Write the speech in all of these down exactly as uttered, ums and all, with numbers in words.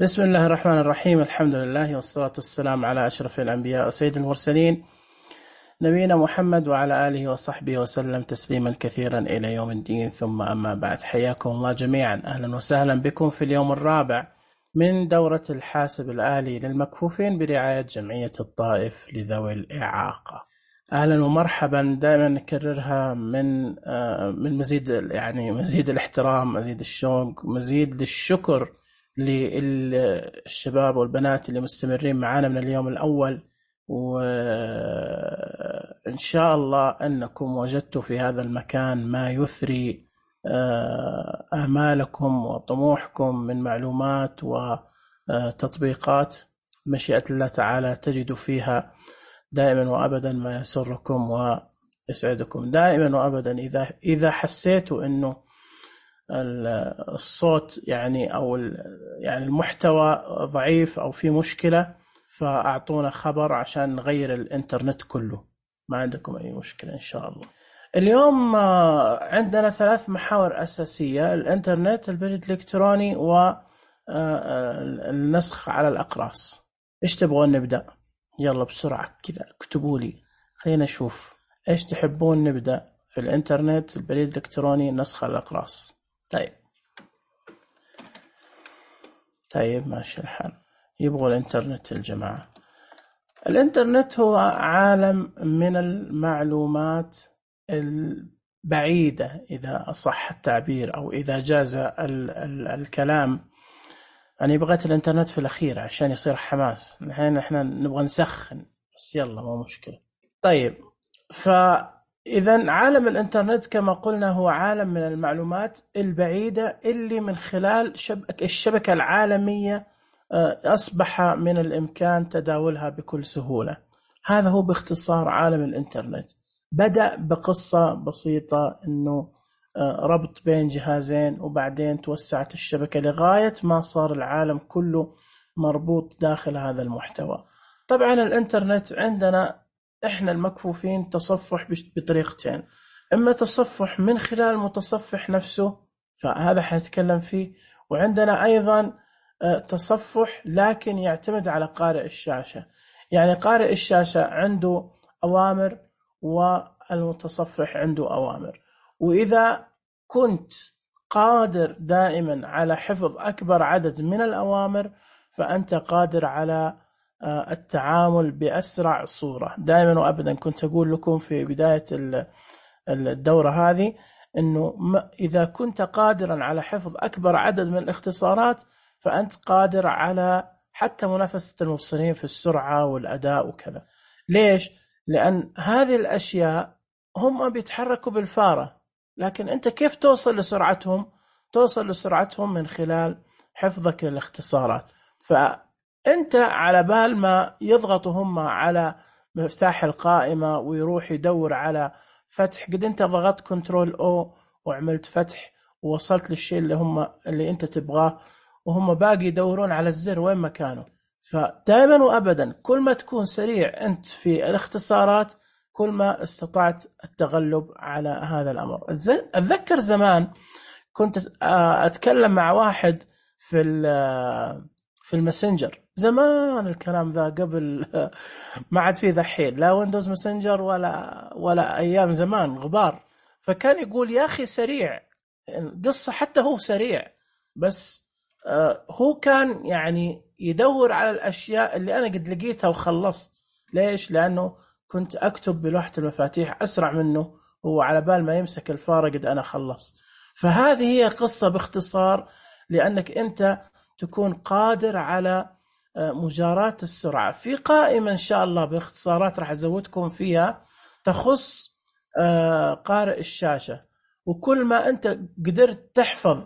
بسم الله الرحمن الرحيم. الحمد لله والصلاة والسلام على أشرف الأنبياء وسيد المرسلين نبينا محمد وعلى آله وصحبه وسلم تسليما كثيرا إلى يوم الدين. ثم أما بعد، حياكم الله جميعا، أهلا وسهلا بكم في اليوم الرابع من دورة الحاسب الآلي للمكفوفين برعاية جمعية الطائف لذوي الإعاقة. أهلا ومرحبا، دائما نكررها من من مزيد يعني مزيد الاحترام، مزيد الشوق، مزيد للشكر للشباب والبنات اللي مستمرين معنا من اليوم الأول، وإن شاء الله أنكم وجدتوا في هذا المكان ما يثري آمالكم وطموحكم من معلومات وتطبيقات. مشيئة الله تعالى تجدوا فيها دائما وأبدا ما يسركم ويسعدكم دائما وأبدا. إذا إذا حسيتوا أنه الصوت يعني أو يعني المحتوى ضعيف أو في مشكلة، فأعطونا خبر عشان نغير الإنترنت كله، ما عندكم أي مشكلة إن شاء الله. اليوم عندنا ثلاث محاور أساسية: الإنترنت، البريد الإلكتروني، والنسخ على الأقراص. إيش تبغون نبدأ؟ يلا بسرعة كذا اكتبوا لي، خلينا نشوف إيش تحبون نبدأ في الإنترنت، البريد الإلكتروني، النسخ على الأقراص. طيب طيب ماشي الحال. يبغوا الإنترنت الجماعة. الإنترنت هو عالم من المعلومات البعيدة إذا أصح التعبير، أو إذا جاز ال ال الكلام. يعني بغيت الإنترنت في الأخير عشان يصير حماس، نحن إحنا نبغى نسخن بس يلا ما مشكلة. طيب، فإذا عالم الإنترنت كما قلنا هو عالم من المعلومات البعيدة اللي من خلال شبكة الشبكة العالمية أصبح من الإمكان تداولها بكل سهولة. هذا هو باختصار عالم الإنترنت. بدأ بقصة بسيطة إنه ربط بين جهازين، وبعدين توسعت الشبكة لغاية ما صار العالم كله مربوط داخل هذا المحتوى. طبعا الإنترنت عندنا إحنا المكفوفين تصفح بطريقتين: إما تصفح من خلال المتصفح نفسه، فهذا حنتكلم فيه، وعندنا أيضا تصفح لكن يعتمد على قارئ الشاشة. يعني قارئ الشاشة عنده أوامر والمتصفح عنده أوامر، وإذا كنت قادر دائما على حفظ أكبر عدد من الأوامر فأنت قادر على التعامل بأسرع صورة. دائما وأبدا كنت أقول لكم في بداية الدورة هذه أنه إذا كنت قادرا على حفظ أكبر عدد من الاختصارات فأنت قادر على حتى منافسة المبصرين في السرعة والأداء وكذا. ليش؟ لأن هذه الأشياء هم بيتحركوا بالفارة، لكن أنت كيف توصل لسرعتهم؟ توصل لسرعتهم من خلال حفظك للاختصارات. فأنت على بال ما يضغطوا هم على مفتاح القائمة ويروح يدور على فتح، قد أنت ضغطت كنترول أو وعملت فتح ووصلت للشيء اللي هم اللي أنت تبغاه، وهم باقي يدورون على الزر وين مكانه. فدائما وأبدا كل ما تكون سريع أنت في الاختصارات كل ما استطعت التغلب على هذا الأمر. أتذكر زمان كنت أتكلم مع واحد في في الماسنجر زمان، الكلام ذا قبل ما عاد فيه ذحين لا ويندوز ماسنجر ولا ولا أيام زمان غبار. فكان يقول يا أخي سريع قصة، حتى هو سريع بس هو كان يعني يدور على الأشياء اللي أنا قد لقيتها وخلصت. ليش؟ لأنه كنت أكتب بلوحة المفاتيح أسرع منه، هو على بال ما يمسك الفارة قد أنا خلصت. فهذه هي قصة باختصار، لأنك أنت تكون قادر على مجاراة السرعة. في قائمة إن شاء الله باختصارات راح أزودكم فيها تخص قارئ الشاشة، وكل ما أنت قدرت تحفظ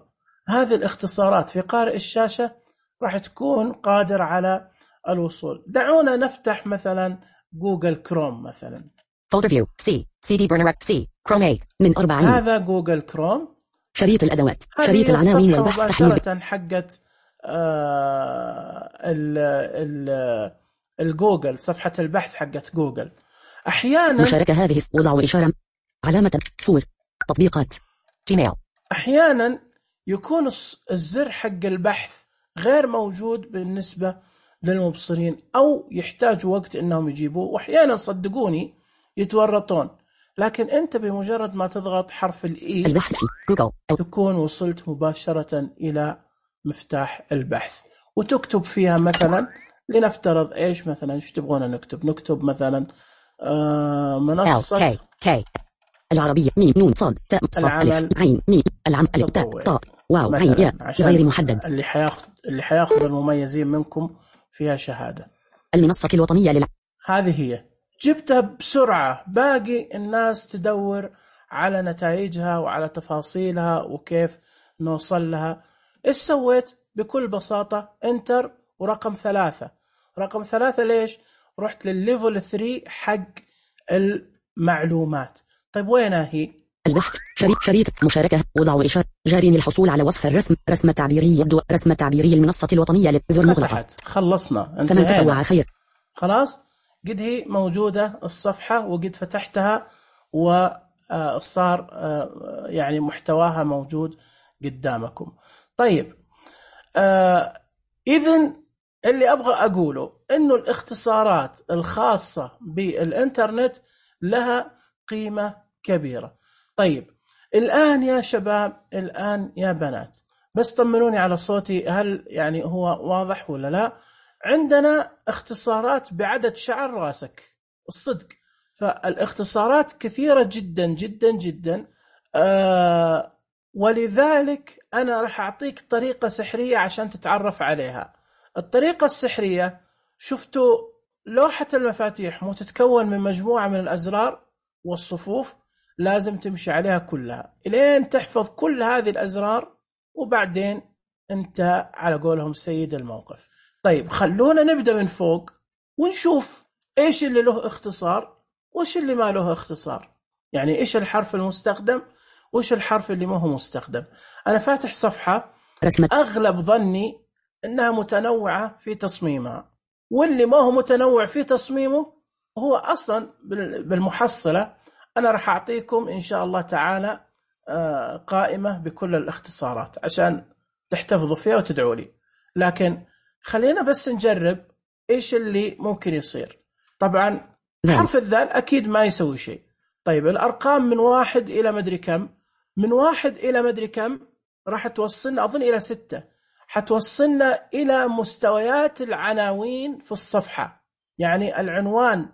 هذه الاختصارات في قارئ الشاشة راح تكون قادر على الوصول. دعونا نفتح مثلا جوجل كروم مثلا. Folder View C C D Burner C Chrome A من أربعين. هذا جوجل كروم. شريط الأدوات، شريط العناوين والبحث تحليل. مباشرة حقت آه ال ال الجوجل، صفحة البحث حقت جوجل. أحيانا مشاركة هذه وضع إشارة علامة فور تطبيقات جيميل. أحيانا يكون الزر حق البحث غير موجود بالنسبة للمبصرين، أو يحتاجوا وقت إنهم يجيبوه، وأحيانا صدقوني يتورطون. لكن أنت بمجرد ما تضغط حرف الإي البحث في جوجل تكون وصلت مباشرة إلى مفتاح البحث، وتكتب فيها مثلا، لنفترض إيش مثلا إيش تبغون نكتب نكتب مثلا آه منصة L K K العربية ميم نون صاد تاء صاد ألف عين ميم العم ألف تاء طاء واو عين ياء غير محدد. اللي حياخذ اللي حياخذ المميزين منكم فيها شهادة. المنصة الوطنية للع... هذه هي، جبتها بسرعة. باقي الناس تدور على نتائجها وعلى تفاصيلها وكيف نوصل لها. إيش سويت؟ بكل بساطة انتر ورقم ثلاثة. رقم ثلاثة ليش؟ رحت للليفل ثري حق المعلومات. طيب وينها هي؟ البحث شريط شريط مشاركة وضع إشارة جاري للحصول على وصف الرسم رسم تعبيري يبدو رسم تعبيري المنصة الوطنية للزر مغلقة. خلصنا فمن تطوع خير. خلاص قد هي موجودة الصفحة وقد فتحتها وصار يعني محتواها موجود قدامكم. طيب آه إذن اللي أبغى أقوله إنه الاختصارات الخاصة بالإنترنت لها قيمة كبيرة. طيب الآن يا شباب، الآن يا بنات، بس طمنوني على صوتي، هل يعني هو واضح ولا لا؟ عندنا اختصارات بعدد شعر راسك الصدق. فالاختصارات كثيرة جدا جدا جدا آه ولذلك أنا راح أعطيك طريقة سحرية عشان تتعرف عليها. الطريقة السحرية، شفتوا لوحة المفاتيح مو تتكون من مجموعة من الأزرار والصفوف؟ لازم تمشي عليها كلها إلين تحفظ كل هذه الأزرار، وبعدين أنت على قولهم سيد الموقف. طيب خلونا نبدأ من فوق ونشوف إيش اللي له اختصار وإيش اللي ما له اختصار. يعني إيش الحرف المستخدم وإيش الحرف اللي ما هو مستخدم. أنا فاتح صفحة رسمة. أغلب ظني أنها متنوعة في تصميمها، واللي ما هو متنوع في تصميمه هو أصلا بالمحصلة. أنا راح أعطيكم إن شاء الله تعالى قائمة بكل الاختصارات عشان تحتفظوا فيها وتدعوا لي، لكن خلينا بس نجرب إيش اللي ممكن يصير. طبعا حرف الذال أكيد ما يسوي شيء. طيب الأرقام من واحد إلى مدري كم، من واحد إلى مدري كم راح توصلنا أظن إلى ستة، حتوصلنا إلى مستويات العناوين في الصفحة. يعني العنوان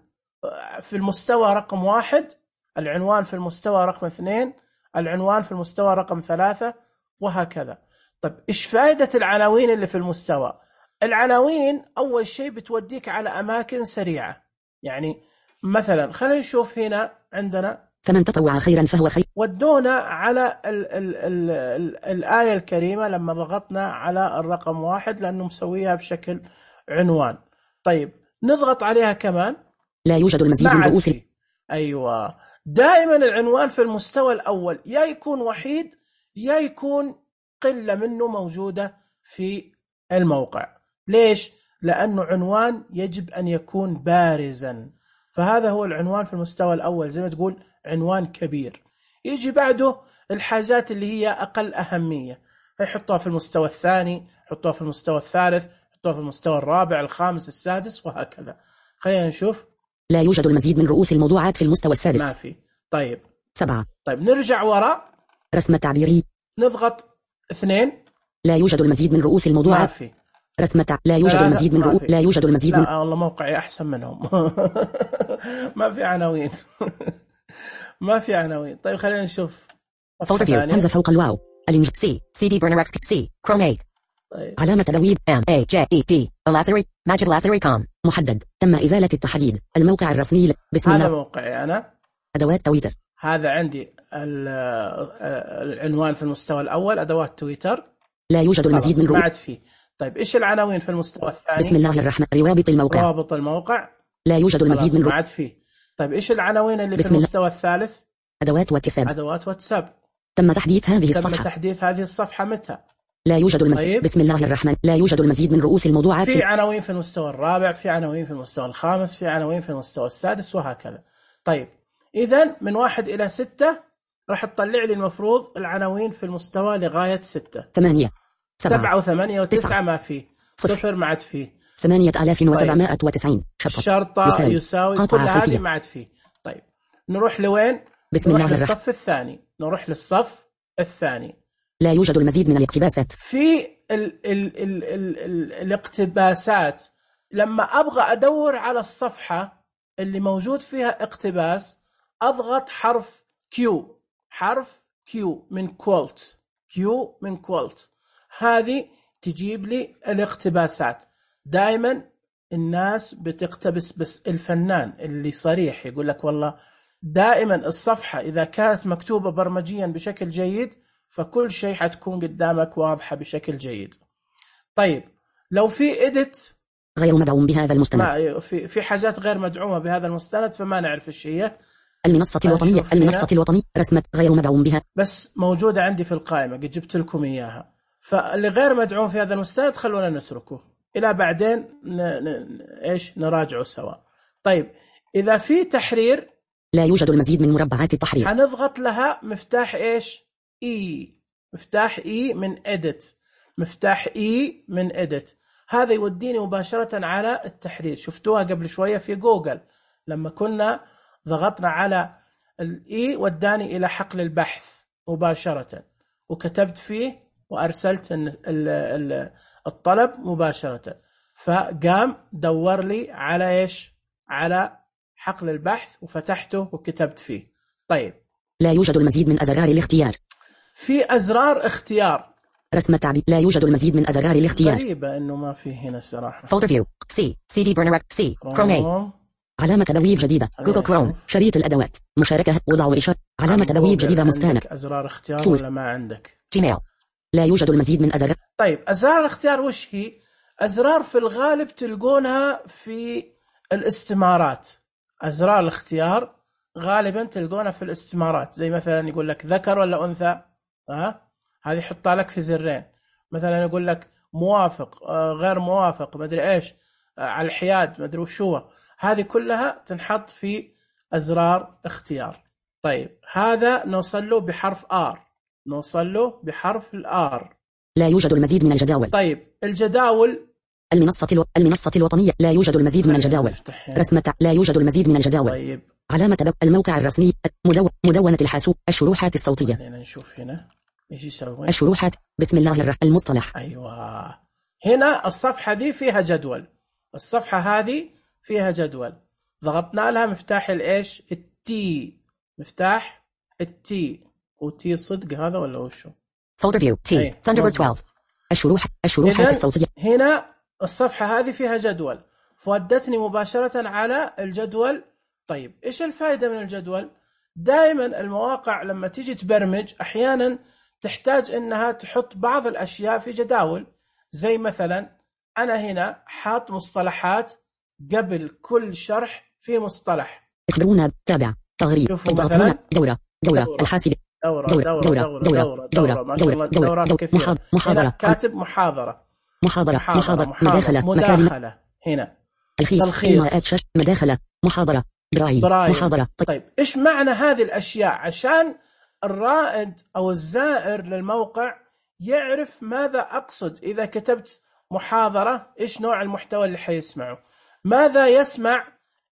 في المستوى رقم واحد، العنوان في المستوى رقم اثنين، العنوان في المستوى رقم ثلاثة، وهكذا. طيب إيش فائدة العناوين اللي في المستوى؟ العناوين أول شيء بتوديك على أماكن سريعة. يعني مثلا خلينا نشوف هنا عندنا فمن تطوع خيرا فهو خير. ودونا على ال ال ال ال الآية الكريمة لما ضغطنا على الرقم واحد لأنه مسويها بشكل عنوان. طيب نضغط عليها كمان، لا يوجد المزيد من رؤوس. أيوة، دائما العنوان في المستوى الأول يا يكون وحيد يا يكون قلة منه موجودة في الموقع. ليش؟ لأنه عنوان يجب أن يكون بارزا. فهذا هو العنوان في المستوى الأول، زي ما تقول عنوان كبير. يجي بعده الحاجات اللي هي أقل أهمية، يحطوها في المستوى الثاني، يحطوها في المستوى الثالث، يحطوها في المستوى الرابع، الخامس، السادس، وهكذا. خلينا نشوف. لا يوجد المزيد من رؤوس الموضوعات في المستوى السادس. ما في. طيب سبعة. طيب نرجع وراء. رسم تعبيري. نضغط اثنين. لا يوجد المزيد من رؤوس الموضوعات. ما في. رسم تع... لا يوجد لا المزيد من رؤوس. لا يوجد المزيد لا من. لا والله موقعي أحسن منهم. ما في عناوين. ما في عناوين. طيب خلينا نشوف. فولدر فيو همزة فوق الواو. الإنج سي سي دي برنر اكس سي كروم اي. طيب. علامة تلويب ام اي جي اي تي لاسري ماجد لاسري كوم محدد. تم إزالة التحديد. الموقع الرسمي. بسم الله. هذا موقعي أنا. أدوات تويتر. هذا عندي العنوان في المستوى الأول، أدوات تويتر. لا يوجد المزيد من رؤوس. فيه. طيب إيش العناوين في المستوى الثاني؟ بسم الله الرحمن. روابط الموقع. روابط الموقع. لا يوجد المزيد من. ما عاد فيه. طيب إيش العناوين اللي في المستوى الثالث؟ أدوات واتساب. أدوات واتساب. تم تحديث هذه تم الصفحة. تم تحديث هذه الصفحة متى؟ لا يوجد المزيد. طيب. بسم الله الرحمن. لا يوجد المزيد من رؤوس الموضوعات. في عناوين في المستوى الرابع، في عناوين في المستوى الخامس، في عناوين في المستوى السادس، وهكذا. طيب إذن من واحد إلى ستة راح تطلع لي المفروض العناوين في المستوى لغاية ستة. ثمانية. سبعة وثمانية وتسعة ما فيه، صفر ما عاد فيه، ثمانية آلاف وسبعمائة وتسعين شرطة, شرطة يساوي, يساوي كل هذه ما عاد فيه. طيب نروح لوين؟ بسم نروح الله للصف الرحمن. الثاني نروح للصف الثاني. لا يوجد المزيد من الاقتباسات. في ال ال ال ال ال الاقتباسات لما أبغى أدور على الصفحة اللي موجود فيها اقتباس أضغط حرف كيو، حرف كيو من كولت، كيو من كولت، هذه تجيب لي الاقتباسات. دائما الناس بتقتبس، بس الفنان اللي صريح يقول لك والله دائما الصفحة إذا كانت مكتوبة برمجيا بشكل جيد فكل شيء حتكون قدامك واضحة بشكل جيد. طيب لو في إديت غير مدعوم بهذا المستند، في في حاجات غير مدعومة بهذا المستند فما نعرف ايش هي. المنصة الوطنية، المنصة الوطنية رسمة غير مدعوم بها، بس موجودة عندي في القائمة قد جبت لكم إياها. فاللي غير مدعوم في هذا المستند خلونا نتركه إلى بعدين ن... ن... إيش نراجعه سوا. طيب إذا في تحرير لا يوجد المزيد من مربعات التحرير، هنضغط لها مفتاح إيش إي، مفتاح إي من إديت، مفتاح إي من إديت، هذا يوديني مباشرة على التحرير. شفتوها قبل شوية في جوجل لما كنا ضغطنا على الإي وداني إلى حقل البحث مباشرة وكتبت فيه وأرسلت الطلب مباشرة، فقام دور لي على إيش، على حقل البحث وفتحته وكتبت فيه. طيب لا يوجد المزيد من أزرار الاختيار، في أزرار اختيار رسم التعبير، لا يوجد المزيد من أزرار الاختيار. غريبة إنه ما فيه هنا صراحة. Folder view C C D burner C Chrome A علامة تبويب جديدة جوجل كروم شريط الأدوات مشاركة وضع وإشارة علامة تبويب جديدة مستانة. عندك أزرار اختيار ولا ما عندك؟ جيميل لا يوجد المزيد من أزرار. طيب أزرار الاختيار وش هي؟ أزرار في الغالب تلقونها في الاستمارات. أزرار الاختيار غالبا تلقونها في الاستمارات، زي مثلا يقول لك ذكر ولا أنثى، ها هذه حطها لك في زرين. مثلا يقول لك موافق آه غير موافق، ما ادري ايش آه على الحياد، ما ادري وش هو، هذه كلها تنحط في أزرار اختيار. طيب هذا نوصل له بحرف آر، نوصل له بحرف الآر. لا يوجد المزيد من الجداول. طيب الجداول، المنصة الو... المنصة الوطنية لا يوجد المزيد من الجداول. رسمة لا يوجد المزيد من الجداول. طيب علامة بب... الموقع الرسمي مدو... مدونة الحاسوب الشروحات الصوتية. خلينا نشوف هنا ايش يسوي. الشروحات بسم الله الرحمن المصطلح. ايوه هنا الصفحة دي فيها جدول، الصفحة هذه فيها جدول، ضغطنا لها مفتاح الايش التي، مفتاح التي، وتي صدق هذا ولا وشو؟ Folder view T Thunderbird اثنا عشر الشروح الشروحات الصوتية. هنا الصفحة هذه فيها جدول فودتني مباشرة على الجدول. طيب إيش الفائدة من الجدول؟ دائما المواقع لما تيجي تبرمج أحيانا تحتاج إنها تحط بعض الأشياء في جداول، زي مثلا أنا هنا حاط مصطلحات قبل كل شرح في مصطلح. اخبرونا تابع تغريد مثلا دورة دورة الحاسب دورة دورة دورة دورة دورة ما شاء الله دورات كثيرة. محاضرة كاتب محاضرة محاضرة محاضرة مداخلة مداخلة هنا تلخيص مداخلة محاضرة برايل محاضرة. طيب إيش معنى هذه الأشياء عشان الرائد أو الزائر للموقع يعرف ماذا أقصد إذا كتبت محاضرة؟ إيش نوع المحتوى اللي حيسمعه؟ ماذا يسمع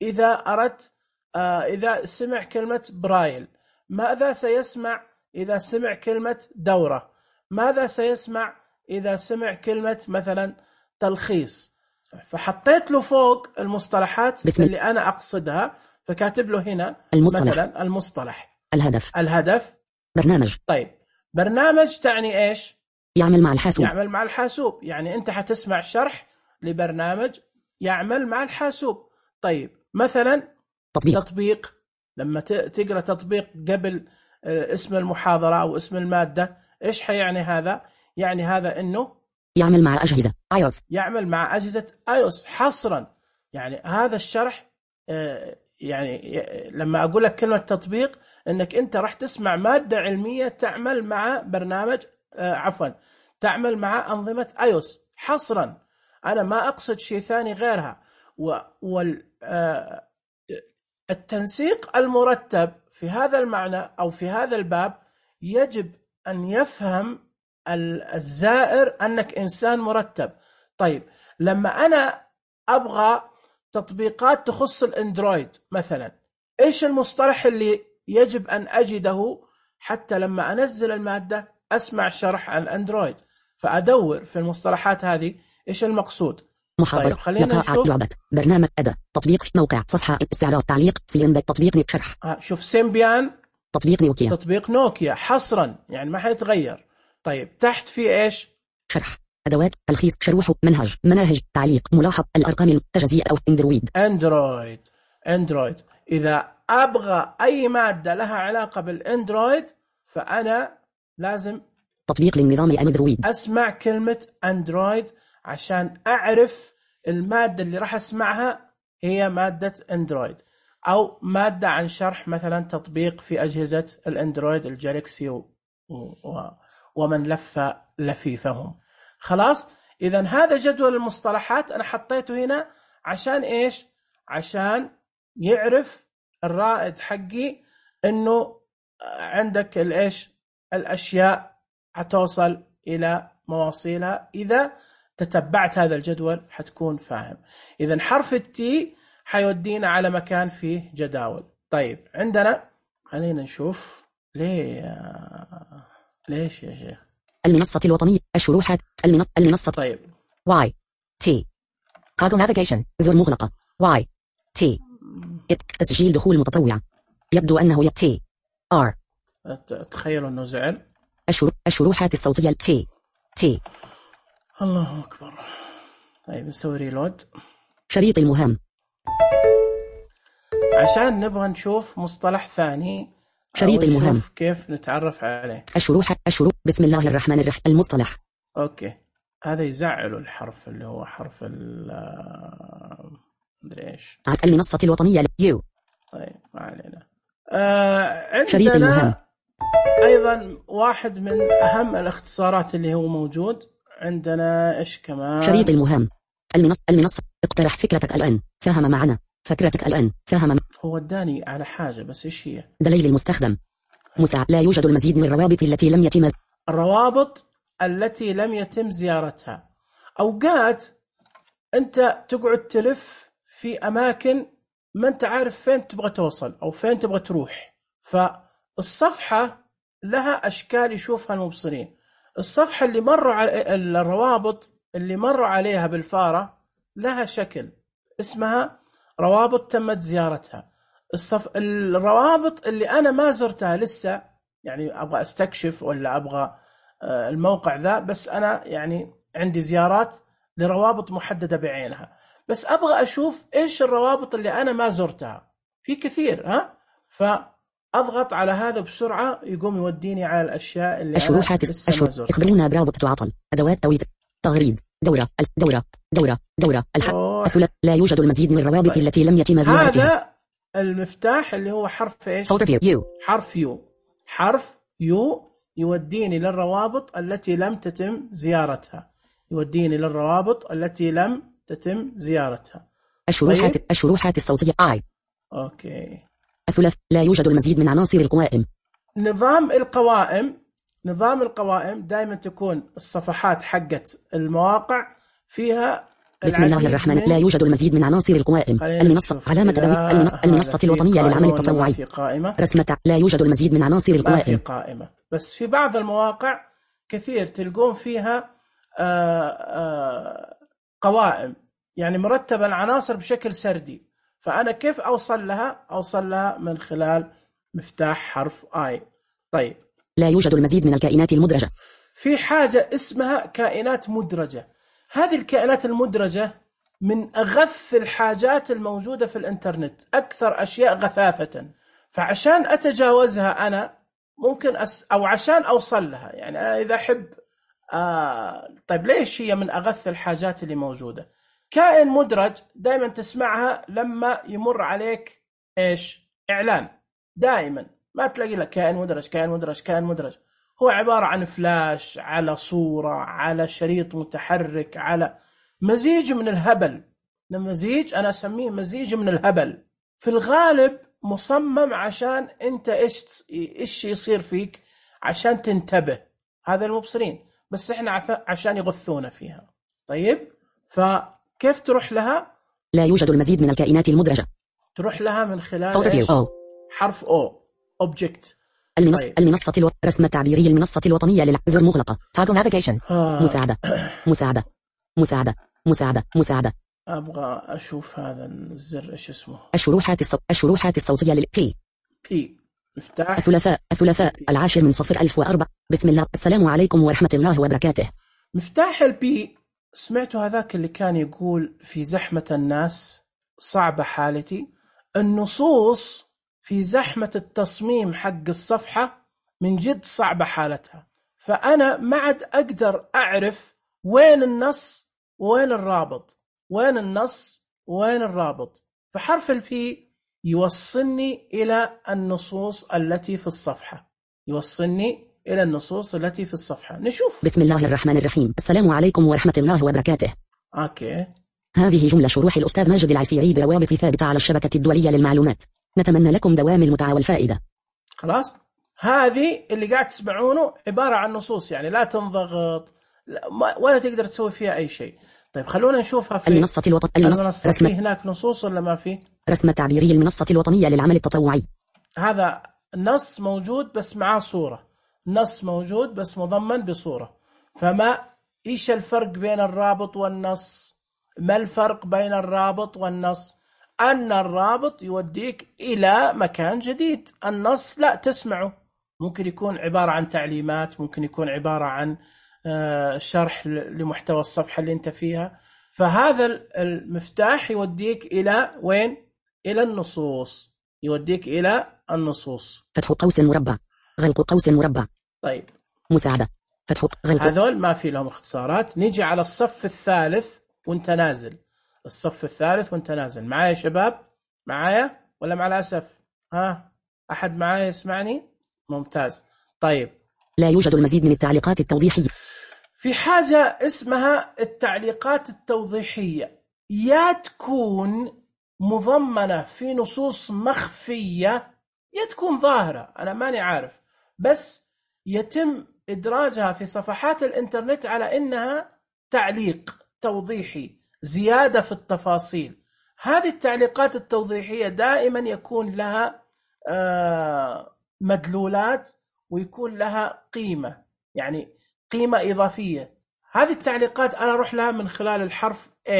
إذا أردت آه إذا سمع كلمة برايل؟ ماذا سيسمع إذا سمع كلمة دورة؟ ماذا سيسمع إذا سمع كلمة مثلا تلخيص؟ فحطيت له فوق المصطلحات اللي أنا أقصدها، فكاتب له هنا المصطلح. مثلا المصطلح، الهدف الهدف برنامج. طيب برنامج تعني إيش؟ يعمل مع الحاسوب. يعمل مع الحاسوب، يعني أنت حتسمع شرح لبرنامج يعمل مع الحاسوب. طيب مثلا تطبيق, تطبيق. لما تقرأ تطبيق قبل اسم المحاضرة أو اسم المادة إيش حيعني هذا؟ يعني هذا إنه يعمل مع أجهزة iOS، يعمل مع أجهزة iOS حصرا. يعني هذا الشرح يعني لما أقول لك كلمة تطبيق إنك أنت راح تسمع مادة علمية تعمل مع برنامج عفوا تعمل مع أنظمة iOS حصرا. أنا ما أقصد شيء ثاني غيرها. وال التنسيق المرتب في هذا المعنى أو في هذا الباب يجب أن يفهم الزائر أنك إنسان مرتب. طيب لما أنا أبغى تطبيقات تخص الأندرويد مثلا، إيش المصطلح اللي يجب أن أجده حتى لما أنزل المادة أسمع شرح عن الأندرويد؟ فأدور في المصطلحات هذه إيش المقصود. محاضرة، طيب خلينا نشوف لعبة، برنامج، أداة، تطبيق، موقع، صفحة، استعراض، تعليق، سيمبيان، تطبيق، شرح. آه شوف سيمبيان، تطبيق نوكيا، تطبيق نوكيا حصرا يعني ما حيتغير. طيب تحت في إيش؟ شرح، أدوات، تلخيص، شروح، منهج، مناهج، تعليق، ملاحظ، الأرقام، التجزئة أو أندرويد. أندرويد أندرويد إذا أبغى أي مادة لها علاقة بالأندرويد فأنا لازم تطبيق للنظام أندرويد، أسمع كلمة أندرويد عشان أعرف المادة اللي راح أسمعها هي مادة أندرويد، أو مادة عن شرح مثلا تطبيق في أجهزة الأندرويد الجالكسي و... و... ومن لف لفيفهم. خلاص، إذن هذا جدول المصطلحات أنا حطيته هنا عشان إيش؟ عشان يعرف الرائد حقي إنه عندك الإيش الأشياء هتوصل إلى مواصيلها. إذا تتبعت هذا الجدول حتكون فاهم. إذن حرف التي حيودينا على مكان فيه جداول. طيب عندنا، خلينا نشوف ليه ليش يا شيخ. المنصة الوطنية، الشروحات، المن... المنصة. طيب واي تي Toggle navigation، زر مغلقة. واي تي تسجيل دخول متطوع، يبدو أنه ي تي ار. تخيلوا أنه زعل. الشرو... الشروحات الصوتية تي تي. الله أكبر. طيب نسوي ريلود. شريط المهام، عشان نبغى نشوف مصطلح ثاني. شريط المهام كيف نتعرف عليه. الشروح الشروح بسم الله الرحمن الرحيم. المصطلح. أوكي، هذا يزعل الحرف اللي هو حرف ال مدري إيش. المنصة الوطنية يو. طيب ما علينا. آه عندنا شريط المهام أيضا واحد من أهم الاختصارات اللي هو موجود عندنا. إيش كمان؟ شريط المهام. المنصة المنصة اقترح فكرتك الآن، ساهم معنا. فكرتك الآن، ساهم. هو اداني على حاجة بس إيش هي؟ دليل المستخدم. مساعد. لا يوجد المزيد من الروابط التي لم يتم الروابط التي لم يتم زيارتها. أوقات أنت تقعد تلف في أماكن ما أنت عارف فين تبغى توصل أو فين تبغى تروح، فالصفحة لها أشكال يشوفها المبصرين. الصفحة اللي مروا على الروابط اللي مروا عليها بالفارة لها شكل اسمها روابط تمت زيارتها. الصف... الروابط اللي أنا ما زرتها لسه، يعني أبغى أستكشف ولا أبغى الموقع ذا، بس أنا يعني عندي زيارات لروابط محددة بعينها، بس أبغى أشوف إيش الروابط اللي أنا ما زرتها. في كثير ها، فأضغط على هذا بسرعة يقوم يوديني على الأشياء اللي الشروحات أنا لسه ما زرتها. اخبرونا برابط تعطل. أدوات تويت، تغريد، دورة دورة دورة دورة الحق الثلاث. لا يوجد المزيد من الروابط طيب. التي لم يتم زيارتها. هذا المفتاح اللي هو حرف إيش؟ يو. حرف يو. حرف يو يوديني للروابط التي لم تتم زيارتها. يوديني للروابط التي لم تتم زيارتها. الشروحات طيب. الشروحات الصوتية آي. أوكي. الثلاث. لا يوجد المزيد من عناصر القوائم. نظام القوائم. نظام القوائم دائما تكون الصفحات حقت المواقع فيها بسم الله الرحمن. لا يوجد المزيد من عناصر القوائم. المنصة علامة تدوين. المنصة الوطنية للعمل التطوعي. رسمة. لا يوجد المزيد من عناصر القوائم. ما في قائمة، بس في بعض المواقع كثير تلقون فيها آآ آآ قوائم، يعني مرتبة العناصر بشكل سردي. فأنا كيف أوصل لها؟ أوصل لها من خلال مفتاح حرف آي. طيب. لا يوجد المزيد من الكائنات المدرجة. في حاجة اسمها كائنات مدرجة. هذه الكائنات المدرجة من أغث الحاجات الموجودة في الإنترنت، أكثر أشياء غثاثة. فعشان أتجاوزها أنا ممكن أس... أو عشان أوصل لها، يعني أنا إذا أحب آه... طيب ليش هي من أغث الحاجات اللي موجودة؟ كائن مدرج دائما تسمعها لما يمر عليك إيش؟ إعلان. دائما ما تلاقي لك كائن مدرج كائن مدرج كائن مدرج. هو عبارة عن فلاش على صورة على شريط متحرك على مزيج من الهبل. مزيج، أنا أسميه مزيج من الهبل. في الغالب مصمم عشان أنت إيش إيش يصير فيك عشان تنتبه. هذا المبصرين بس إحنا عشان يغثونا فيها. طيب فكيف تروح لها؟ لا يوجد المزيد من الكائنات المدرجة. تروح لها من خلال حرف O Object. المنص... طيب. المنصة الو... رسم التعبيري المنصة الوطنية للزر مغلقة. Toggle navigation. آه. مساعدة مساعدة مساعدة مساعدة مساعدة. أبغى أشوف هذا الزر إيش اسمه. الشروحات الصو... الشروحات الصوتية لل P. P. مفتاح. الثلاثاء الثلاثاء P. العاشر من صفر ألف وأربعة. بسم الله. السلام عليكم ورحمة الله وبركاته. مفتاح ال P. سمعتوا هذاك اللي كان يقول في زحمة الناس صعبة حالتي. النصوص في زحمة التصميم حق الصفحة من جد صعبة حالتها، فأنا ما عاد أقدر أعرف وين النص وين الرابط، وين النص وين الرابط. فحرف البي يوصلني إلى النصوص التي في الصفحة، يوصلني إلى النصوص التي في الصفحة. نشوف. بسم الله الرحمن الرحيم. السلام عليكم ورحمة الله وبركاته. أوكي. هذه جملة شروح الأستاذ ماجد العسيري بروابط ثابتة على الشبكة الدولية للمعلومات. نتمنى لكم دوام المتعة والفائدة. خلاص، هذه اللي قاعد تسمعونه عبارة عن نصوص، يعني لا تنضغط ولا تقدر تسوي فيها أي شيء. طيب خلونا نشوفها في المنصة الوطنية. المنصة رسم... في هناك نصوص ولا ما في؟ رسم التعبيري المنصة الوطنية للعمل التطوعي. هذا نص موجود بس معاه صورة، نص موجود بس مضمن بصورة. فما إيش الفرق بين الرابط والنص؟ ما الفرق بين الرابط والنص؟ أن الرابط يوديك إلى مكان جديد، النص لا تسمعه، ممكن يكون عبارة عن تعليمات، ممكن يكون عبارة عن شرح لمحتوى الصفحة اللي أنت فيها. فهذا المفتاح يوديك إلى وين؟ إلى النصوص، يوديك إلى النصوص. فتح قوس مربع، غلق قوس مربع. طيب مساعدة، فتح غلق. هذول ما في لهم اختصارات. نيجي على الصف الثالث وانت نازل، الصف الثالث وانت نازل. معايا شباب؟ معايا ولا مع الأسف؟ ها أحد معايا يسمعني؟ ممتاز. طيب لا يوجد المزيد من التعليقات التوضيحية. في حاجة اسمها التعليقات التوضيحية، يا تكون مضمنة في نصوص مخفية يا تكون ظاهرة، أنا ماني عارف، بس يتم إدراجها في صفحات الإنترنت على إنها تعليق توضيحي، زيادة في التفاصيل. هذه التعليقات التوضيحية دائما يكون لها مدلولات ويكون لها قيمة، يعني قيمة إضافية. هذه التعليقات أنا أروح لها من خلال الحرف A،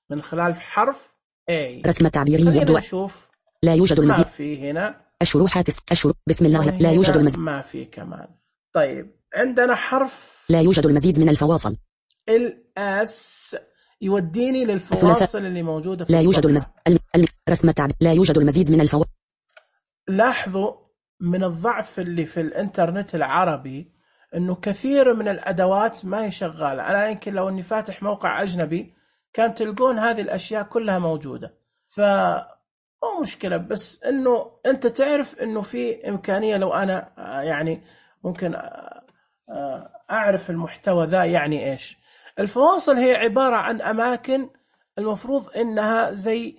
من خلال حرف A. رسم تعبيري يبدو. نشوف. لا يوجد المزيد. ما في هنا. الشروحات الشروح. بسم الله. لا يوجد المزيد. ما في كمان. طيب عندنا حرف. لا يوجد المزيد من الفواصل. الأس يوديني للفواصل اللي موجودة في لا يوجد المزيد. الم... رسم تعبير. لا يوجد المزيد من الفواصل. لاحظوا من الضعف اللي في الإنترنت العربي إنه كثير من الأدوات ما هي شغالة. أنا يمكن لو إني فاتح موقع أجنبي كان تلقون هذه الأشياء كلها موجودة، فمو مشكلة، بس إنه أنت تعرف إنه في إمكانية لو أنا يعني ممكن أعرف المحتوى ذا يعني إيش. الفواصل هي عبارة عن أماكن المفروض إنها زي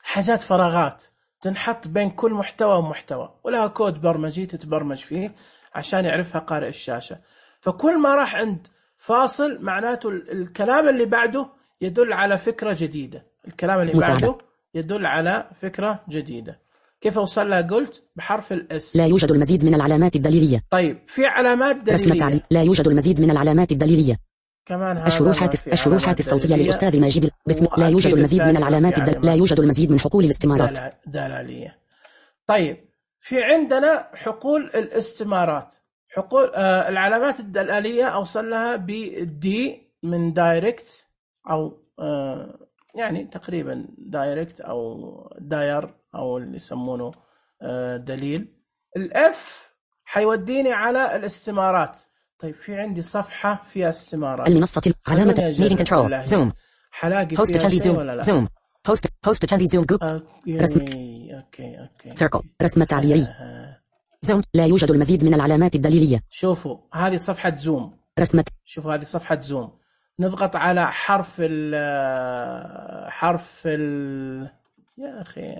حاجات فراغات تنحط بين كل محتوى ومحتوى، ولها كود برمجي تتبرمج فيه عشان يعرفها قارئ الشاشة. فكل ما راح عند فاصل معناته الكلام اللي بعده يدل على فكرة جديدة، الكلام اللي مساعدة. بعده يدل على فكرة جديدة. كيف أوصل لها؟ قلت بحرف الأس. لا يوجد المزيد من العلامات الدليلية. طيب في علامات دليلية. لا يوجد المزيد من العلامات الدليلية. كمان هذا الشروحات الشروحات الصوتية للأستاذ ماجد. بسم لا يوجد المزيد من العلامات الدل... لا يوجد المزيد من حقول الاستمارات. دلالية. طيب في عندنا حقول الاستمارات. حقول آه العلامات الدلالية أوصل لها بدي من دايركت أو آه يعني تقريبا دايركت أو داير أو اللي يسمونه آه دليل. الإف حيوديني على الاستمارات. طيب في عندي صفحة فيها استمارات. المنصة علامة meeting control زوم حلاقي فيها شيء ولا لا؟ زوم post post تشاندي زوم جروب رسم اوكي اوكي سيركل رسم تعبيري زوم. لا يوجد المزيد من العلامات الدليلية. شوفوا هذه صفحة زوم. رسمة. شوفوا هذه صفحة زوم. نضغط على حرف ال حرف ال يا أخي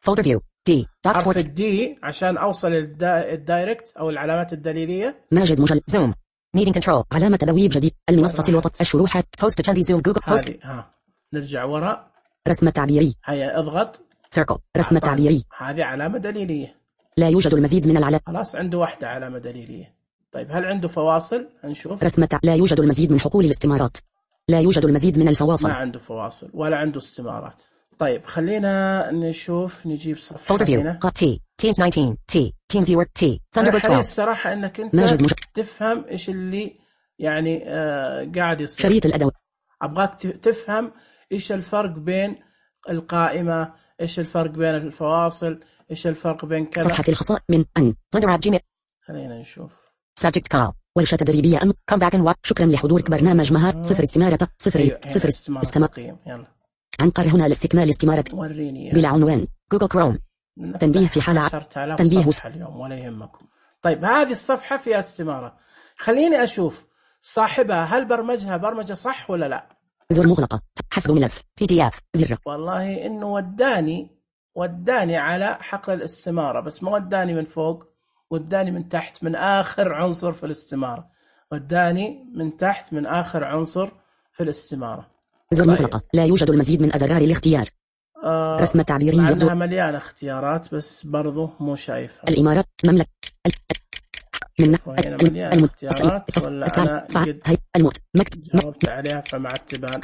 folder view دي حرف الدي عشان أوصل الدايركت أو العلامات الدليلية. ماجد مجل زوم ميتنج كنترول علامة تبويب جديد المنصة الوسط الشروحات بوست تشاندي زوم جوجل بوست. هذه ها نرجع وراء رسمة تعبيري. هيا اضغط سيركل رسمة تعبيري. هذه علامة دليلية. لا يوجد المزيد من العلامات. خلاص عنده واحدة علامة دليلية. طيب هل عنده فواصل؟ نشوف. رسمة تع... لا يوجد المزيد من حقول الاستمارات. لا يوجد المزيد من الفواصل. ما عنده فواصل ولا عنده استمارات. طيب خلينا نشوف نجيب صفحة هنا. تي تيمز تسعة عشر تي تيم فيور تي ثاندربيرد اثنا عشر. الصراحة انك انت مج... تفهم ايش اللي يعني آه قاعد يصير. شريط الأدوات. ابغاك تفهم ايش الفرق بين القائمة، ايش الفرق بين الفواصل، ايش الفرق بين كذا. صفحة الخصائص من ان ثاندر جيميل. خلينا نشوف. سبجكت كال ورشة تدريبية أم كم باك و شكرا لحضورك برنامج مهار صفر استمارة صفر أيوة. صفر استمارة. يلا. عنقر هنا لاستكمال استمارة. وريني بلا عنوان جوجل كروم. تنبيه في حالة تنبيه اليوم ولا يهمكم. طيب هذه الصفحة فيها استمارة، خليني أشوف صاحبها هل برمجها برمجة صح ولا لا. زر مغلقة حفظ ملف بي دي اف زر. والله إنه وداني وداني على حقل الاستمارة بس ما وداني من فوق، وداني من تحت من آخر عنصر في الاستمارة، وداني من تحت من آخر عنصر في الاستمارة. زر مغلقة لا يوجد المزيد من أزرار الاختيار. آه رسمة تعبيرية عندها مليانة اختيارات بس برضو مو شايفها. الإمارات مملكة من المليانة اختيارات ولا أنا قد جاوبت عليها فما عاد تبان.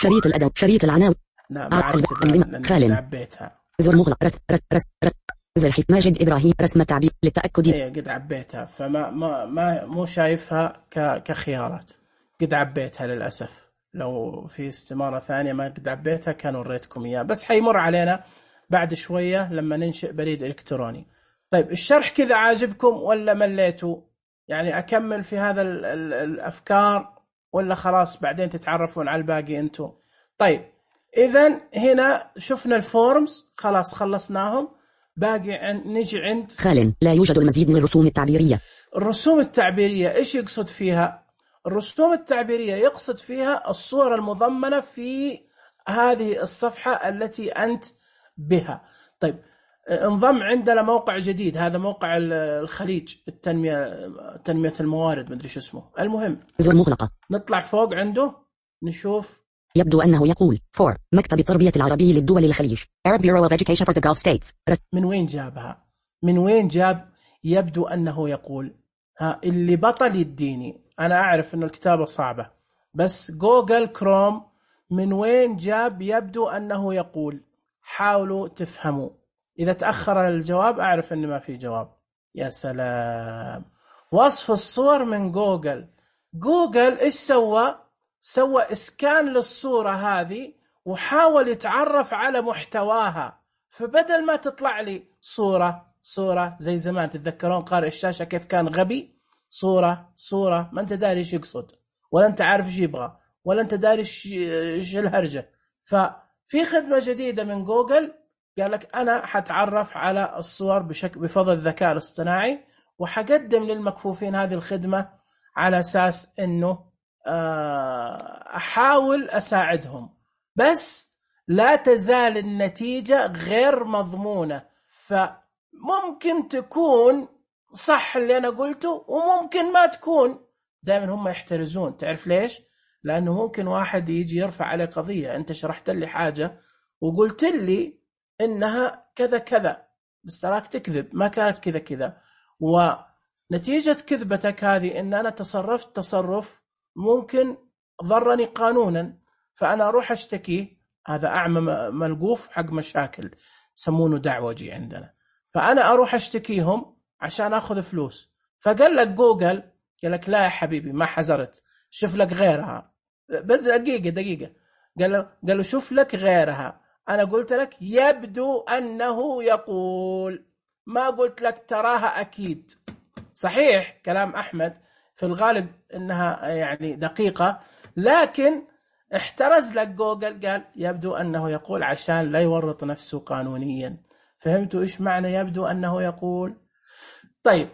شريط الأدب شريط العناوين. لا ما عاد تبان لأني عبيتها. زر مغلق رس رس رس رس زر حيث ماجد إبراهيم رسمة تعبير للتأكد. إيه قد عبيتها فما ما ما مو شايفها ك كخيارات، قد عبيتها للأسف. لو في استمارة ثانية ما قد عبيتها كان وريتكم إياه، بس حيمر علينا بعد شوية لما ننشئ بريد إلكتروني. طيب الشرح كذا عاجبكم ولا مليتوا؟ يعني أكمل في هذا ال ال الأفكار ولا خلاص بعدين تتعرفون على الباقي أنتم؟ طيب إذن هنا شفنا الفورمز خلاص خلصناهم، باقي عن نجي عند خال لا يوجد المزيد من الرسوم التعبيرية. الرسوم التعبيرية إيش يقصد فيها؟ الرسوم التعبيرية يقصد فيها الصور المضمنة في هذه الصفحة التي أنت بها. طيب انضم عندنا موقع جديد، هذا موقع الخليج التنمية تنمية الموارد مدري شو اسمه. المهم زر مغلقة نطلع فوق عنده نشوف. يبدو أنه يقول فور مكتب التربية العربي للدول الخليج Arab Bureau of Education for the Gulf States. من وين جابها؟ من وين جاب يبدو أنه يقول؟ ها اللي بطل يديني، أنا أعرف أنه الكتابة صعبة بس جوجل كروم من وين جاب يبدو أنه يقول؟ حاولوا تفهموا. إذا تأخر الجواب أعرف أن ما في جواب. يا سلام، وصف الصور من جوجل. جوجل إيش سوى؟ سوى إسكان للصورة هذه وحاول يتعرف على محتواها، فبدل ما تطلع لي صورة صورة زي زمان، تتذكرون قارئ الشاشة كيف كان غبي؟ صورة صورة ما أنت داري إيش يقصد ولا أنت عارف إيش يبغى ولا أنت داري إيش الهرجة. ففي خدمة جديدة من جوجل قال لك أنا حتعرف على الصور بشكل بفضل الذكاء الاصطناعي، وحقدم للمكفوفين هذه الخدمة على أساس أنه أحاول أساعدهم، بس لا تزال النتيجة غير مضمونة. فممكن تكون صح اللي أنا قلته وممكن ما تكون. دائما هم يحترزون، تعرف ليش؟ لأنه ممكن واحد يجي يرفع عليه قضية، أنت شرحت لي حاجة وقلت لي إنها كذا كذا بس تراك تكذب، ما كانت كذا كذا، ونتيجة كذبتك هذه إن أنا تصرفت تصرف ممكن ضرني قانونا، فأنا أروح أشتكيه. هذا أعمى ملقوف حق مشاكل سمونه دعوجي عندنا، فأنا أروح أشتكيهم عشان أخذ فلوس. فقال لك جوجل قال لك لا يا حبيبي ما حزرت، شوف لك غيرها. بس دقيقة دقيقة قال له قال له شوف لك غيرها. أنا قلت لك يبدو أنه يقول، ما قلت لك تراها أكيد. صحيح كلام أحمد في الغالب إنها يعني دقيقة، لكن احترز لك جوجل قال يبدو أنه يقول عشان لا يورط نفسه قانونيا. فهمتوا إيش معنى يبدو أنه يقول؟ طيب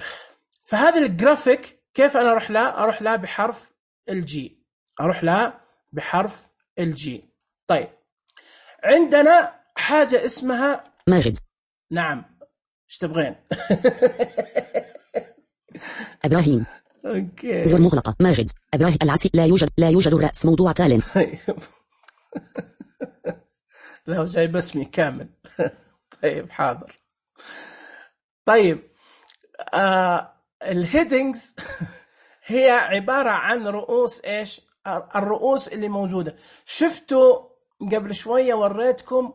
فهذا الجرافيك كيف أنا أروح لا أروح لا بحرف الجي، أروح لا بحرف الجي. طيب عندنا حاجة اسمها ماجد نعم ايش تبغين؟ ابراهيم. اوكي. زر مغلقة. ماجد. ابراهيم العسي. لا يوجد لا يوجد الرأس. موضوع تال. طيب. لا جايب اسمي كامل. طيب حاضر. طيب آه الهيدنجز هي عبارة عن رؤوس ايش؟ الرؤوس اللي موجودة. شفتوا قبل شوية وريتكم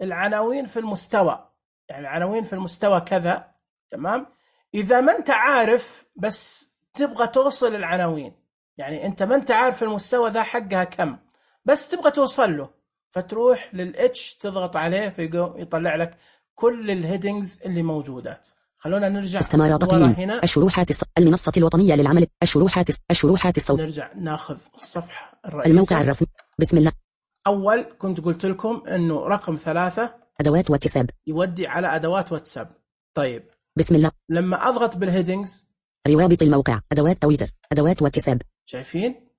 العناوين في المستوى، يعني العناوين في المستوى كذا، تمام؟ إذا ما أنت عارف بس تبغى توصل العناوين، يعني أنت ما أنت عارف المستوى ذا حقها كم، بس تبغى توصل له، فتروح للإتش تضغط عليه فيطلع لك كل الهيدنجز اللي موجودات. خلونا نرجع استمارة تقييم هنا. الشروحات الص... المنصة الوطنية للعمل. الشروحات الشروحات الصوت. نرجع ناخذ الصفحة الرئيسية. الموقع الرسمي. بسم الله. أول كنت قلت لكم إنه رقم ثلاثة أدوات واتساب يودي على أدوات واتساب. طيب بسم الله. لما أضغط بالهيدنجز روابط الموقع. أدوات تويتر. أدوات واتساب. شايفين؟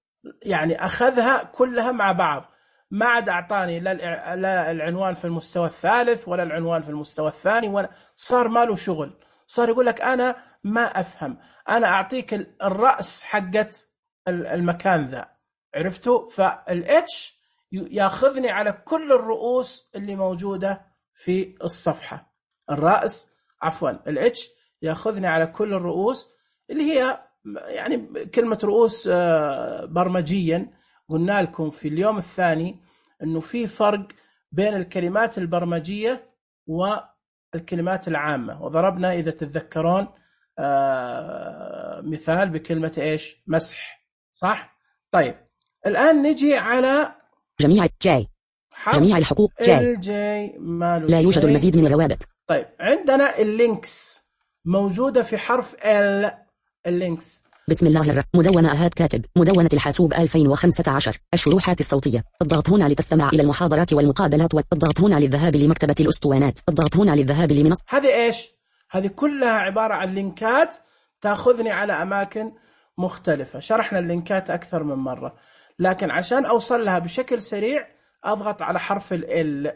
يعني أخذها كلها مع بعض، ما عاد أعطاني لا العنوان في المستوى الثالث ولا العنوان في المستوى الثاني، ولا صار ماله شغل. صار يقول لك أنا ما أفهم، أنا أعطيك الرأس حقت المكان ذا، عرفتوا؟ فالإتش ياخذني على كل الرؤوس اللي موجودة في الصفحة. الرأس عفوا الإتش ياخذني على كل الرؤوس اللي هي يعني كلمة رؤوس برمجيا. قلنا لكم في اليوم الثاني أنه في فرق بين الكلمات البرمجية والكلمات العامة، وضربنا إذا تتذكرون مثال بكلمة إيش؟ مسح، صح؟ طيب الآن نجي على جميع جاي جميع الحقوق جاي الجاي لا يوجد المزيد من الروابط. طيب عندنا اللينكس موجودة في حرف ال. اللينكس بسم الله الرحمن. مدونة أهات كاتب. مدونة الحاسوب ألفين وخمسة عشر. الشروحات الصوتية. الضغط هنا لتستمع إلى المحاضرات والمقابلات. الضغط هنا للذهاب لمكتبة الأسطوانات. الضغط هنا للذهاب لمنصة. هذه إيش؟ هذه كلها عبارة عن لينكات تأخذني على أماكن مختلفة. شرحنا اللينكات أكثر من مرة، لكن عشان أوصل لها بشكل سريع أضغط على حرف ال.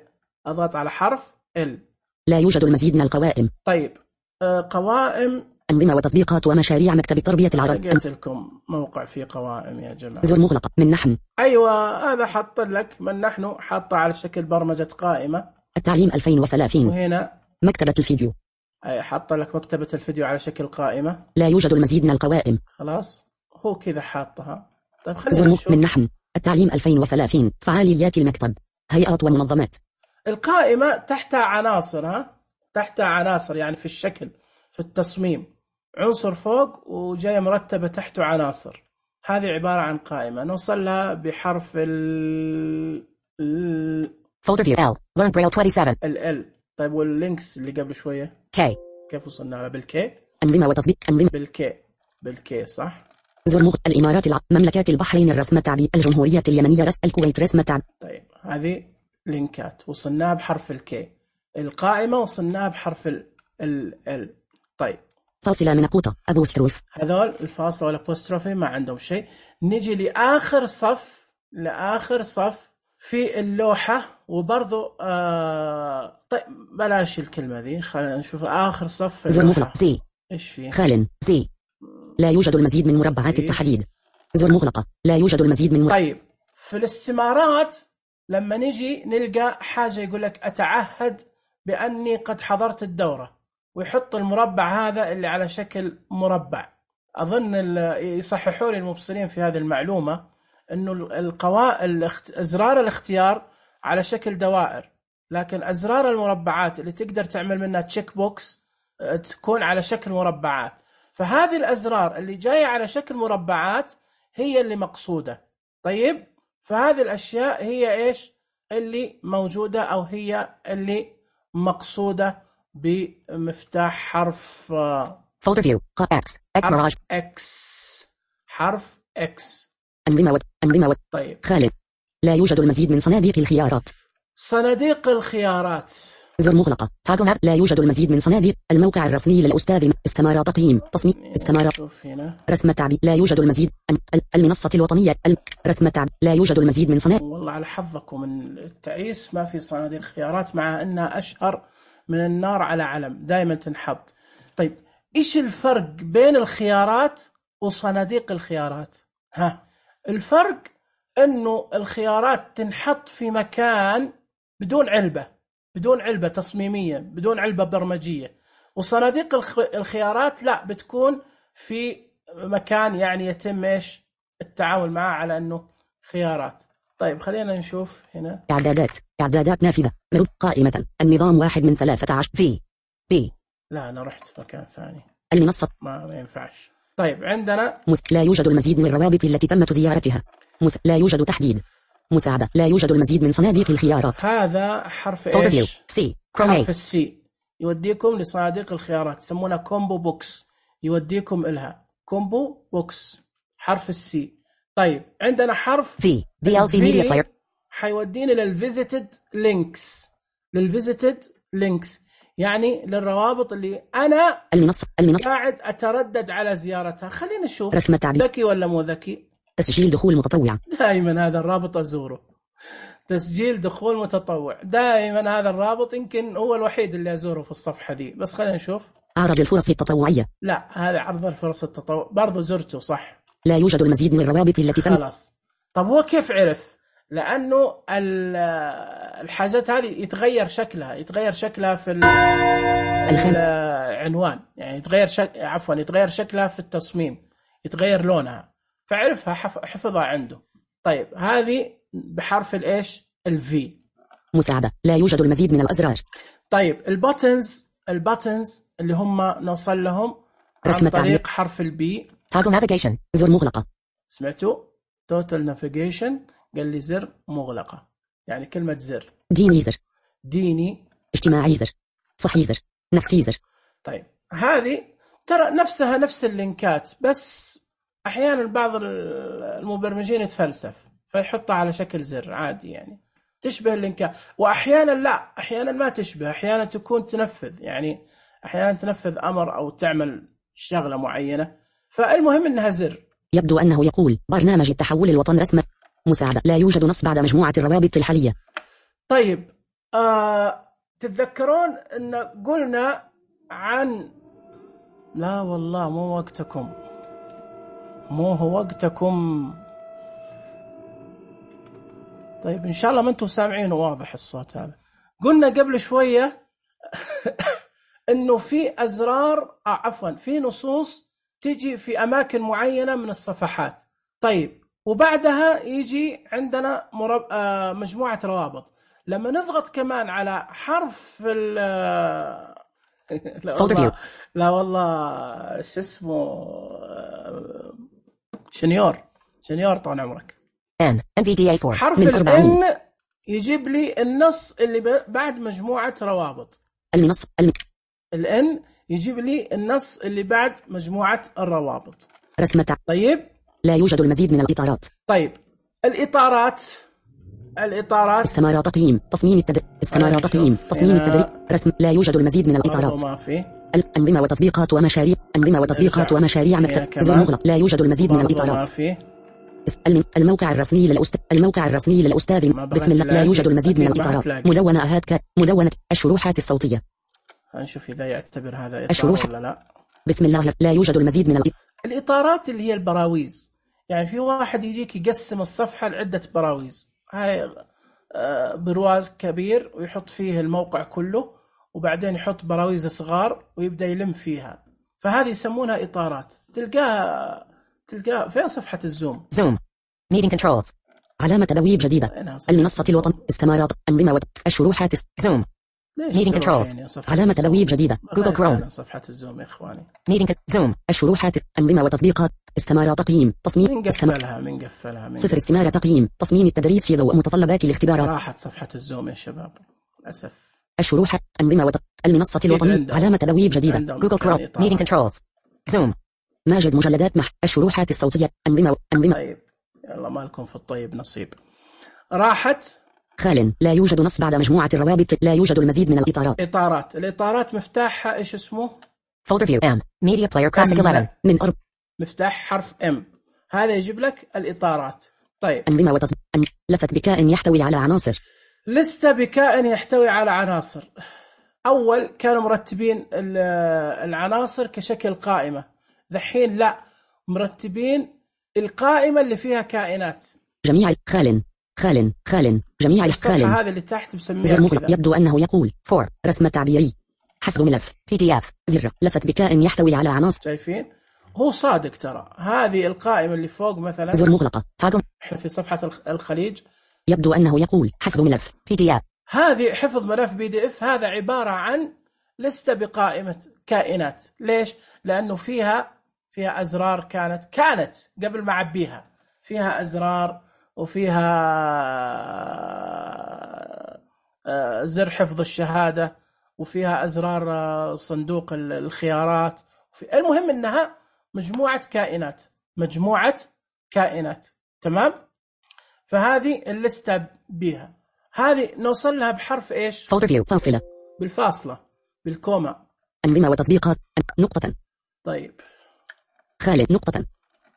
أضغط على حرف ال. لا يوجد المزيد من القوائم. طيب آه قوائم أنظمة وتطبيقات ومشاريع مكتب التربية العربية. لقيت لكم موقع فيه قوائم يا جماعة. زر مغلقة. من نحن. أيوة هذا حط لك من نحن، حطه على شكل برمجة قائمة. التعليم ألفين وثلاثين. وهنا مكتبة الفيديو. أي حط لك مكتبة الفيديو على شكل قائمة. لا يوجد المزيد من القوائم. خلاص هو كذا حاطها. طيب خلينا نشوف. من نحن. التعليم ألفين وثلاثين. فعاليات المكتب. هيئات ومنظمات. القائمة تحتها عناصر، ها تحتها عناصر يعني في الشكل في التصميم، عنصر فوق وجاية مرتبة تحته عناصر. هذه عبارة عن قائمة نوصل لها بحرف ال ال Folder view L. Learn Braille سبعة وعشرين. ال L. طيب واللينكس اللي قبل شوية K. كيف وصلنا على بالكي؟ أنظمة وتطبيق. أنظمة بالكي بالكي صح. زر مغ... الإمارات الع... مملكات البحرين الرسم التعبير. الجمهورية اليمنية رسم الكويت رسم التعبير. طيب هذه لينكات وصلناها بحرف الكي. القائمة وصلناها بحرف ال ال ال. طيب فاصلة من قوطة أبوستروف. هذول الفاصلة والأبوستروفي ما عندهم شيء. نجي لآخر صف لآخر صف في اللوحة وبرضو آه... طيب بلاش الكلمة ذي، خلينا نشوف آخر صف في زر مغلق. زي إيش فيه؟ خال زي لا يوجد المزيد من مربعات التحديد. زر مغلقة. لا يوجد المزيد من مر... طيب في الاستمارات لما نجي نلقى حاجة يقول لك أتعهد بأني قد حضرت الدورة، ويحط المربع هذا اللي على شكل مربع. أظن يصححوا لي المبصرين في هذه المعلومة أنه القوائم أزرار الاختيار على شكل دوائر، لكن أزرار المربعات اللي تقدر تعمل منها تشيك بوكس تكون على شكل مربعات. فهذه الأزرار اللي جاية على شكل مربعات هي اللي مقصودة. طيب فهذه الأشياء هي إيش اللي موجودة أو هي اللي مقصودة بمفتاح حرف Folder view X حرف X حرف X. أنظمة و... أنظمة و... طيب خالد. لا يوجد المزيد من صناديق الخيارات. صناديق الخيارات. زر مغلقة. تعال. لا يوجد المزيد من صناديق. الموقع الرسمي للأستاذ. استمارة تقييم تصميم. استمارة رسم التعبير. لا يوجد المزيد. المنصة الوطنية. رسم التعبير. لا يوجد المزيد من صناديق. والله على حظكم من التعيس ما في صناديق خيارات، مع أنها أشهر من النار على علم دائما تنحط. طيب إيش الفرق بين الخيارات وصناديق الخيارات؟ ها الفرق إنه الخيارات تنحط في مكان بدون علبة، بدون علبة تصميمية، بدون علبة برمجية، وصناديق الخيارات لا، بتكون في مكان يعني يتم إيش التعامل معه على أنه خيارات. طيب خلينا نشوف هنا إعدادات إعدادات نافذة مرب قائمة النظام واحد من ثلاثة عشر في بي. لا أنا رحت في مكان ثاني. المنصة ما, ما ينفعش. طيب عندنا مس... لا يوجد المزيد من الروابط التي تمت زيارتها. مس... لا يوجد تحديد. مساعدة لا يوجد المزيد من صناديق الخيارات. هذا حرف إيش؟ سي. حرف السي يوديكم لصناديق الخيارات، يسمونها كومبو بوكس، يوديكم إلها كومبو بوكس حرف السي. طيب عندنا حرف في في ال سي ميديا بلاير، حيوديني للفيزيتد لينكس. للفيزيتد لينكس يعني للروابط اللي أنا المنصة المنصة قاعد أتردد على زيارتها. خلينا نشوف رسم التعبير. ذكي ولا مو ذكي؟ تسجيل دخول متطوع. دائما هذا الرابط أزوره، تسجيل دخول متطوع، دائما هذا الرابط يمكن هو الوحيد اللي أزوره في الصفحة دي. بس خلينا نشوف عرض الفرص التطوعية. لا هذا عرض الفرص التطوع برضو زرته صح. لا يوجد المزيد من الروابط التي تم. خلاص. طب هو كيف عرف؟ لأنه الحاجات هذه يتغير شكلها، يتغير شكلها في العنوان، يعني يتغير شك... عفوا يتغير شكلها في التصميم، يتغير لونها، فعرفها حفظها عنده. طيب هذه بحرف الإيش؟ الفي. مساعدة لا يوجد المزيد من الأزرار. طيب الباتنز، الباتنز اللي هم نوصل لهم عن طريق حرف البي. Toggle navigation زر مغلقة. سمعتوا؟ total navigation قال لي زر مغلقة، يعني كلمة زر. ديني زر. ديني. اجتماعي زر. صحي زر. نفسي زر. طيب هذه ترى نفسها نفس اللينكات، بس أحيانا بعض المبرمجين يتفلسف فيحطها على شكل زر عادي، يعني تشبه اللينكات، وأحيانا لا، أحيانا ما تشبه، أحيانا تكون تنفذ، يعني أحيانا تنفذ أمر أو تعمل شغلة معينة، فالمهم إنها زر. يبدو أنه يقول برنامج التحول الوطن رسمة. مساعدة لا يوجد نص بعد مجموعة الروابط الحالية. طيب آه، تتذكرون أن قلنا عن لا والله مو وقتكم، مو هو وقتكم. طيب إن شاء الله ما أنتم سامعينه واضح الصوت هذا. قلنا قبل شوية إنه في أزرار آه عفوا في نصوص تيجي في أماكن معينة من الصفحات. طيب وبعدها يجي عندنا مرب... آه مجموعة روابط. لما نضغط كمان على حرف ال لا والله لا والله شو اسمه شنيور شنيور طال عمرك N إن في دي إيه فور حرف ال N يجيب لي النص اللي بعد مجموعة روابط. المنص ال N يجيب لي النص اللي بعد مجموعة الروابط. رسمة. طيب لا يوجد المزيد من الإطارات. طيب الإطارات، الإطارات استمارة تقييم تصميم التدريب. استمارة تقييم تصميم التدريب رسم. لا يوجد المزيد من الإطارات. ما في. الأنظمة وتطبيقات ومشاريع. أنظمة وتطبيقات ومشاريع مكتب زر مغلق. لا يوجد المزيد من الإطارات. ما في. الموقع الرسمي للأستاذ. الموقع الرسمي للأستاذ بسم الله. لا يوجد المزيد من الإطارات. مدونة أهات ك مدونة الشروحات الصوتية. هنشوف إذا يعتبر هذا إطار الشروح ولا لا. بسم الله. لا يوجد المزيد من الإطارات. الإطارات اللي هي البراويز، يعني في واحد يجيك يقسم الصفحة لعدة براويز، هاي برواز كبير ويحط فيه الموقع كله، وبعدين يحط براويز صغار ويبدأ يلم فيها، فهذه يسمونها إطارات. تلقاها تلقاها فين صفحة الزوم. زوم ميتنج كنترولز علامة تبويب جديدة. المنصة الوطن استمارات أنظمة الشروحات زوم ميتنج كنترولز علامة تبويب جديدة. جوجل كروم صفحة الزوم يا إخواني. ميتنج زوم الشروحات أنظمة وتطبيقات استمارة تقييم تصميم. من قفلها من قفلها من صفر استمارة تقييم تصميم التدريس في ضوء متطلبات الاختبارات. راحت صفحة الزوم يا شباب للأسف. الشروحات أنظمة وت... المنصة الوطنية علامة تبويب جديدة. جوجل كروم ميتنج كنترولز زوم ماجد مجلدات مح الشروحات الصوتية أنظمة أنظمة. طيب يلا ما لكم في الطيب نصيب. راحت. خال لا يوجد نص بعد مجموعة الروابط. لا يوجد المزيد من الإطارات. إطارات. الإطارات مفتاحها إيش اسمه؟ Folder View M Media Player Classic إحدى عشر من أرب. مفتاح حرف M، هذا يجيب لك الإطارات. طيب أنظمة وتص... لست بكائن يحتوي على عناصر. لست بكائن يحتوي على عناصر. أول كانوا مرتبين العناصر كشكل قائمة، ذحين لا، مرتبين القائمة اللي فيها كائنات. جميع خال خال خال جميع الخال. هذا اللي تحت بسميها كذا. يبدو أنه يقول فور رسم تعبيري حفظ ملف بي دي اف زر لست بكائن يحتوي على عناصر. شايفين؟ هو صادق ترى. هذه القائمة اللي فوق مثلا زر مغلقة تاغم. احنا في صفحة الخليج. يبدو أنه يقول حفظ ملف بي دي اف. هذه حفظ ملف بي دي اف، هذا عبارة عن لستة بقائمة كائنات. ليش؟ لأنه فيها فيها أزرار كانت كانت قبل ما أعبيها، فيها أزرار وفيها زر حفظ الشهادة وفيها أزرار صندوق الخيارات. المهم أنها مجموعة كائنات، مجموعة كائنات. تمام؟ فهذه اللستة بها، هذه نوصل لها بحرف إيش؟ فولدر فيو فاصلة، بالفاصلة، بالكوما. أنظمة وتطبيقات نقطة. طيب خالد نقطة.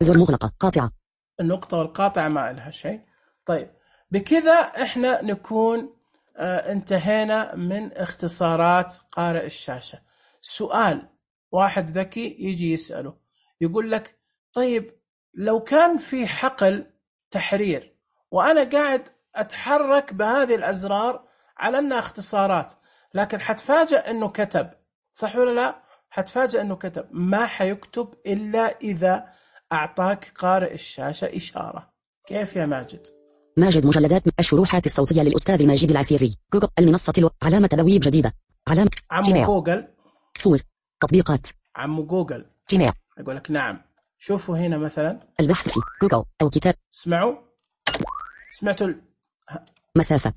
زر مغلقة قاطعة. النقطة والقاطعة ما لها شيء. طيب بكذا إحنا نكون آه انتهينا من اختصارات قارئ الشاشة. سؤال واحد ذكي يجي يسأله يقول لك طيب لو كان في حقل تحرير وأنا قاعد أتحرك بهذه الأزرار على أنها اختصارات، لكن حتفاجأ أنه كتب، صح ولا لا؟ حتفاجأ أنه كتب. ما حيكتب إلا إذا أعطاك قارئ الشاشة إشارة. كيف يا ماجد؟ ماجد مجلدات الشروحات الصوتية للأستاذ ماجد العسيري. جوجل المنصة الو... علامة تبويب جديدة. علامة عمو جوجل. فور تطبيقات. عمو جوجل. جيميل. أقول لك نعم. شوفوا هنا مثلا البحث في جوجل أو كتاب. اسمعوا سمعتوا ال... مسافة.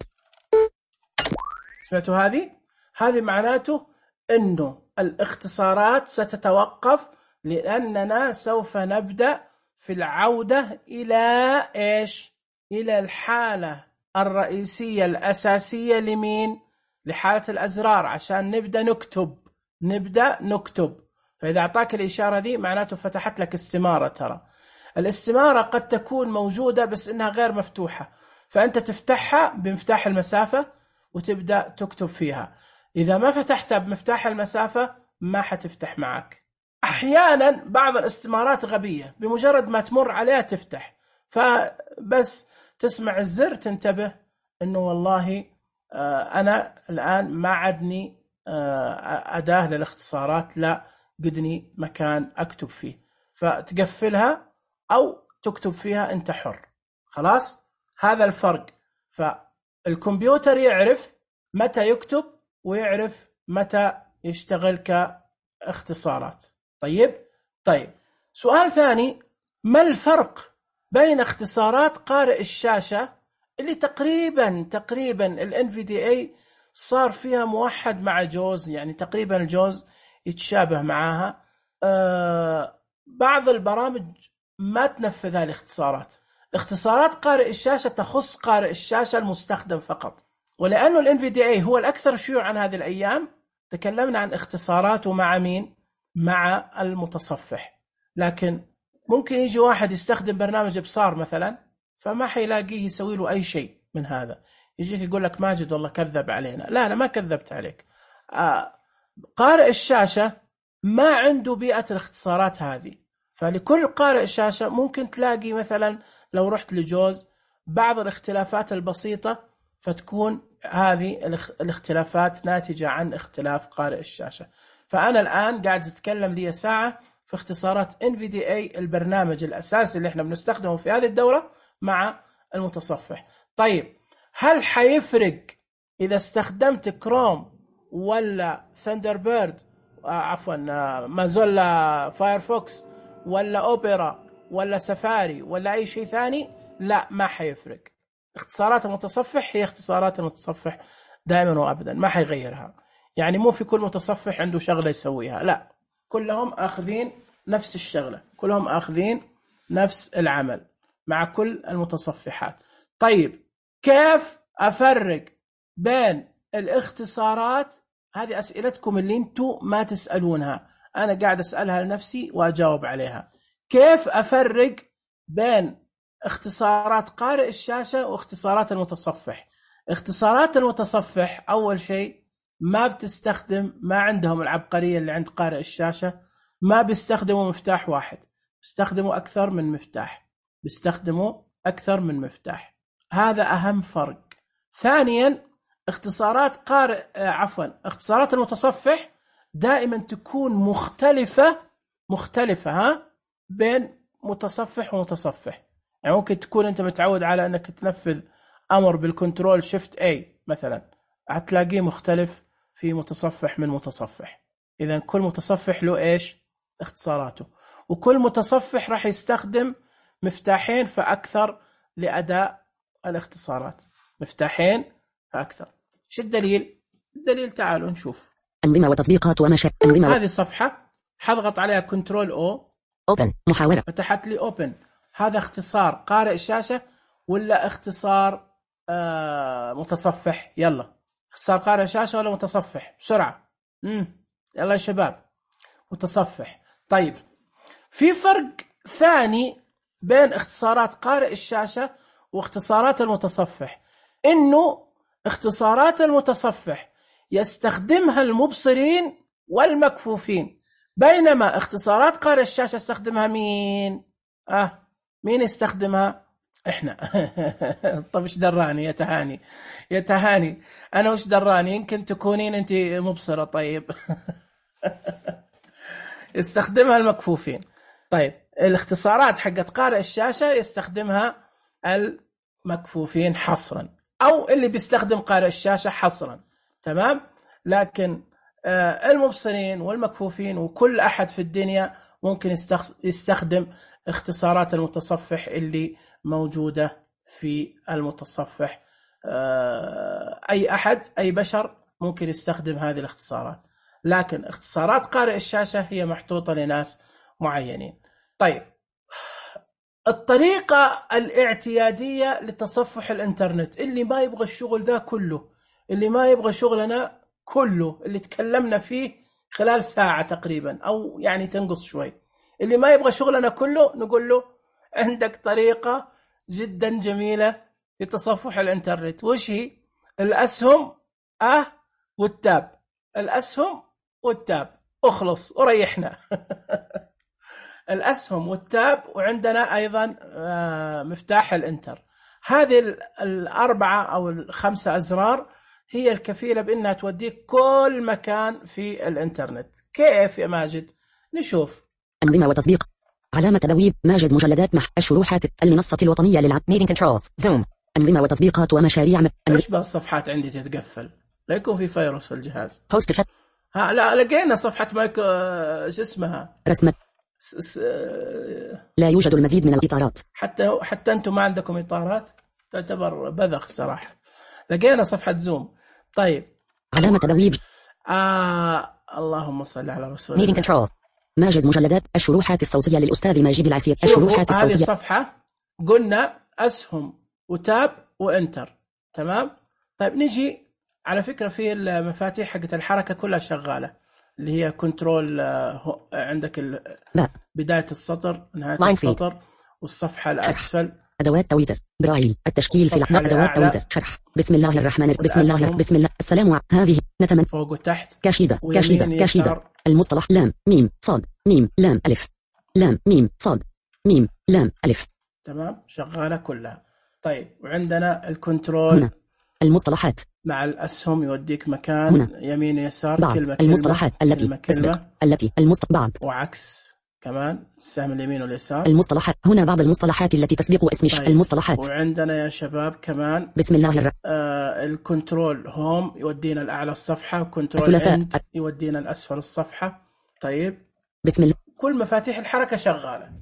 سمعتوا هذه؟ هذه معناته أنه الاختصارات ستتوقف، لأننا سوف نبدأ في العودة إلى إيش؟ إلى الحالة الرئيسية الأساسية لمين؟ لحالة الأزرار، عشان نبدأ نكتب نبدأ نكتب. فإذا أعطاك الإشارة دي معناته فتحت لك استمارة. ترى الاستمارة قد تكون موجودة بس إنها غير مفتوحة، فأنت تفتحها بمفتاح المسافة وتبدأ تكتب فيها. إذا ما فتحتها بمفتاح المسافة ما حتفتح معك. أحيانا بعض الاستمارات غبية، بمجرد ما تمر عليها تفتح، فبس تسمع الزر تنتبه إنه والله أنا الآن ما عدني أداة للاختصارات، لا قدني مكان أكتب فيه، فتقفلها أو تكتب فيها أنت حر. خلاص، هذا الفرق. فالكمبيوتر يعرف متى يكتب ويعرف متى يشتغل كاختصارات. طيب طيب سؤال ثاني، ما الفرق بين اختصارات قارئ الشاشة اللي تقريبا تقريبا ال إن في دي إيه صار فيها موحد مع جوز، يعني تقريبا الجوز يتشابه معاها. آه بعض البرامج ما تنفذ هذه الاختصارات. اختصارات قارئ الشاشة تخص قارئ الشاشة المستخدم فقط، ولأنه ال إن في دي إيه هو الأكثر شيوعا هذه الأيام تكلمنا عن اختصاراته مع مين؟ مع المتصفح. لكن ممكن يجي واحد يستخدم برنامج إبصار مثلا فما حيلاقيه يسوي له أي شيء من هذا، يجيك يقول لك ماجد والله كذب علينا. لا أنا ما كذبت عليك. آه قارئ الشاشة ما عنده بيئة الاختصارات هذه، فلكل قارئ شاشة ممكن تلاقي مثلا لو رحت لجوز بعض الاختلافات البسيطة، فتكون هذه الاختلافات ناتجة عن اختلاف قارئ الشاشة. فأنا الآن قاعد أتكلم لي ساعة في اختصارات إن في دي إيه البرنامج الأساسي اللي احنا بنستخدمه في هذه الدورة مع المتصفح. طيب هل حيفرق إذا استخدمت كروم ولا ثندربيرد آه عفوا آه مازولا فايرفوكس ولا أوبرا ولا سفاري ولا أي شيء ثاني؟ لا، ما حيفرق. اختصارات المتصفح هي اختصارات المتصفح دائما وأبدا، ما حيغيرها. يعني مو في كل متصفح عنده شغلة يسويها، لا، كلهم آخذين نفس الشغلة، كلهم آخذين نفس العمل مع كل المتصفحات. طيب كيف أفرق بين الاختصارات؟ هذه أسئلتكم اللي انتم ما تسألونها، أنا قاعد أسألها لنفسي وأجاوب عليها. كيف أفرق بين اختصارات قارئ الشاشة واختصارات المتصفح؟ اختصارات المتصفح أول شيء ما بتستخدم، ما عندهم العبقرية اللي عند قارئ الشاشة، ما بيستخدموا مفتاح واحد، بيستخدموا أكثر من مفتاح بيستخدموا أكثر من مفتاح هذا أهم فرق. ثانيا اختصارات قارئ عفوا اختصارات المتصفح دائما تكون مختلفة مختلفة ها بين متصفح ومتصفح. يعني ممكن تكون أنت متعود على أنك تنفذ أمر بالكنترول شيفت اي مثلا، هتلاقيه مختلف في متصفح من متصفح. إذا كل متصفح له إيش اختصاراته، وكل متصفح راح يستخدم مفتاحين فأكثر لأداء الاختصارات، مفتاحين فأكثر. شو الدليل؟ الدليل تعالوا نشوف. أنظمة وتطبيقات ومشا أنظمة. هذه صفحة حضغط عليها كنترول او اوبن محاولة، فتحت لي اوبن. هذا اختصار قارئ الشاشة ولا اختصار آه متصفح؟ يلا اختصار قارئ الشاشة ولا متصفح بسرعة؟ امم يلا يا شباب متصفح. طيب في فرق ثاني بين اختصارات قارئ الشاشة واختصارات المتصفح، انه اختصارات المتصفح يستخدمها المبصرين والمكفوفين، بينما اختصارات قارئ الشاشة يستخدمها مين؟ اه مين يستخدمها؟ احنا. طب ايش دراني يا تهاني؟ يا تهاني انا وش دراني؟ يمكن تكونين انت مبصرة. طيب يستخدمها المكفوفين. طيب الاختصارات حقت قارئ الشاشة يستخدمها المكفوفين حصرا، او اللي بيستخدم قارئ الشاشة حصرا، تمام. لكن آه المبصرين والمكفوفين وكل احد في الدنيا ممكن يستخدم اختصارات المتصفح اللي موجودة في المتصفح. آه اي احد اي بشر ممكن يستخدم هذه الاختصارات، لكن اختصارات قارئ الشاشة هي محطوطة لناس معينين. طيب الطريقة الاعتيادية لتصفح الانترنت، اللي ما يبغى الشغل ذا كله، اللي ما يبغى شغلنا كله اللي تكلمنا فيه خلال ساعة تقريبا أو يعني تنقص شوي، اللي ما يبغى شغلنا كله نقول له عندك طريقة جدا جميلة لتصفح الانترنت. وش هي؟ الأسهم أه والتاب، الأسهم والتاب، أخلص وريحنا. الأسهم والتاب، وعندنا أيضا مفتاح الانتر. هذه الأربعة أو الخمسة أزرار هي الكفيلة بأنها توديك كل مكان في الانترنت. كيف يا ماجد؟ نشوف. أنظمة وتطبيق، علامة تبويب ماجد، مجلدات مح الشروحات، المنصة الوطنية للعب، ميتنج كنترولز، زوم، أنظمة وتطبيقات ومشاريع. إيش بقى الصفحات عندي تتقفل؟ لا يكون في فيروس في الجهاز. هوست شات. ها لا لقينا صفحة مايك شو اسمها؟ رسمة. س... س... لا يوجد المزيد من الإطارات. حتى حتى أنتم ما عندكم إطارات، تعتبر بذخ صراحة. لقينا صفحة زوم. طيب علامة تبويب. آه اللهم صل على رسول الله. ميتنج كنترول ماجد، مجلدات الشروحات الصوتية للأستاذ ماجد العسير. الشروحات الصوتية. هذه الصفحة قلنا أسهم وتاب وإنتر، تمام. طيب نجي على فكرة في المفاتيح حقت الحركة كلها شغالة، اللي هي كنترول عندك بداية السطر، نهاية السطر، والصفحة الأسفل، أدوات تويتر، برايل، التشكيل في الأحمر، أدوات تويتر، شرح، بسم الله الرحمن الرحيم، بسم الله بسم الله السلام ع... هذه نتمنى فوق وتحت، كاشيدة كاشيدة كاشيدة، المصطلح لام ميم صاد ميم لام ألف، لام ميم صاد ميم لام ألف، تمام شغالة كلها. طيب وعندنا الكنترول هنا. المصطلحات مع الأسهم يوديك مكان هنا. يمين يسار، بعض. كلمة المصطلحات كلمة. التي كلمة كلمة. التي المصط بعض، وعكس كمان السهم اليمين واليسار. المصطلحات هنا بعض المصطلحات التي تسبق اسم طيب. المصطلحات. وعندنا يا شباب كمان بسم الله الرحمن آه الكنترول هوم يودينا الأعلى الصفحة، وكنترول اند يودينا الأسفل الصفحة. طيب بسم الله. كل مفاتيح الحركة شغالة،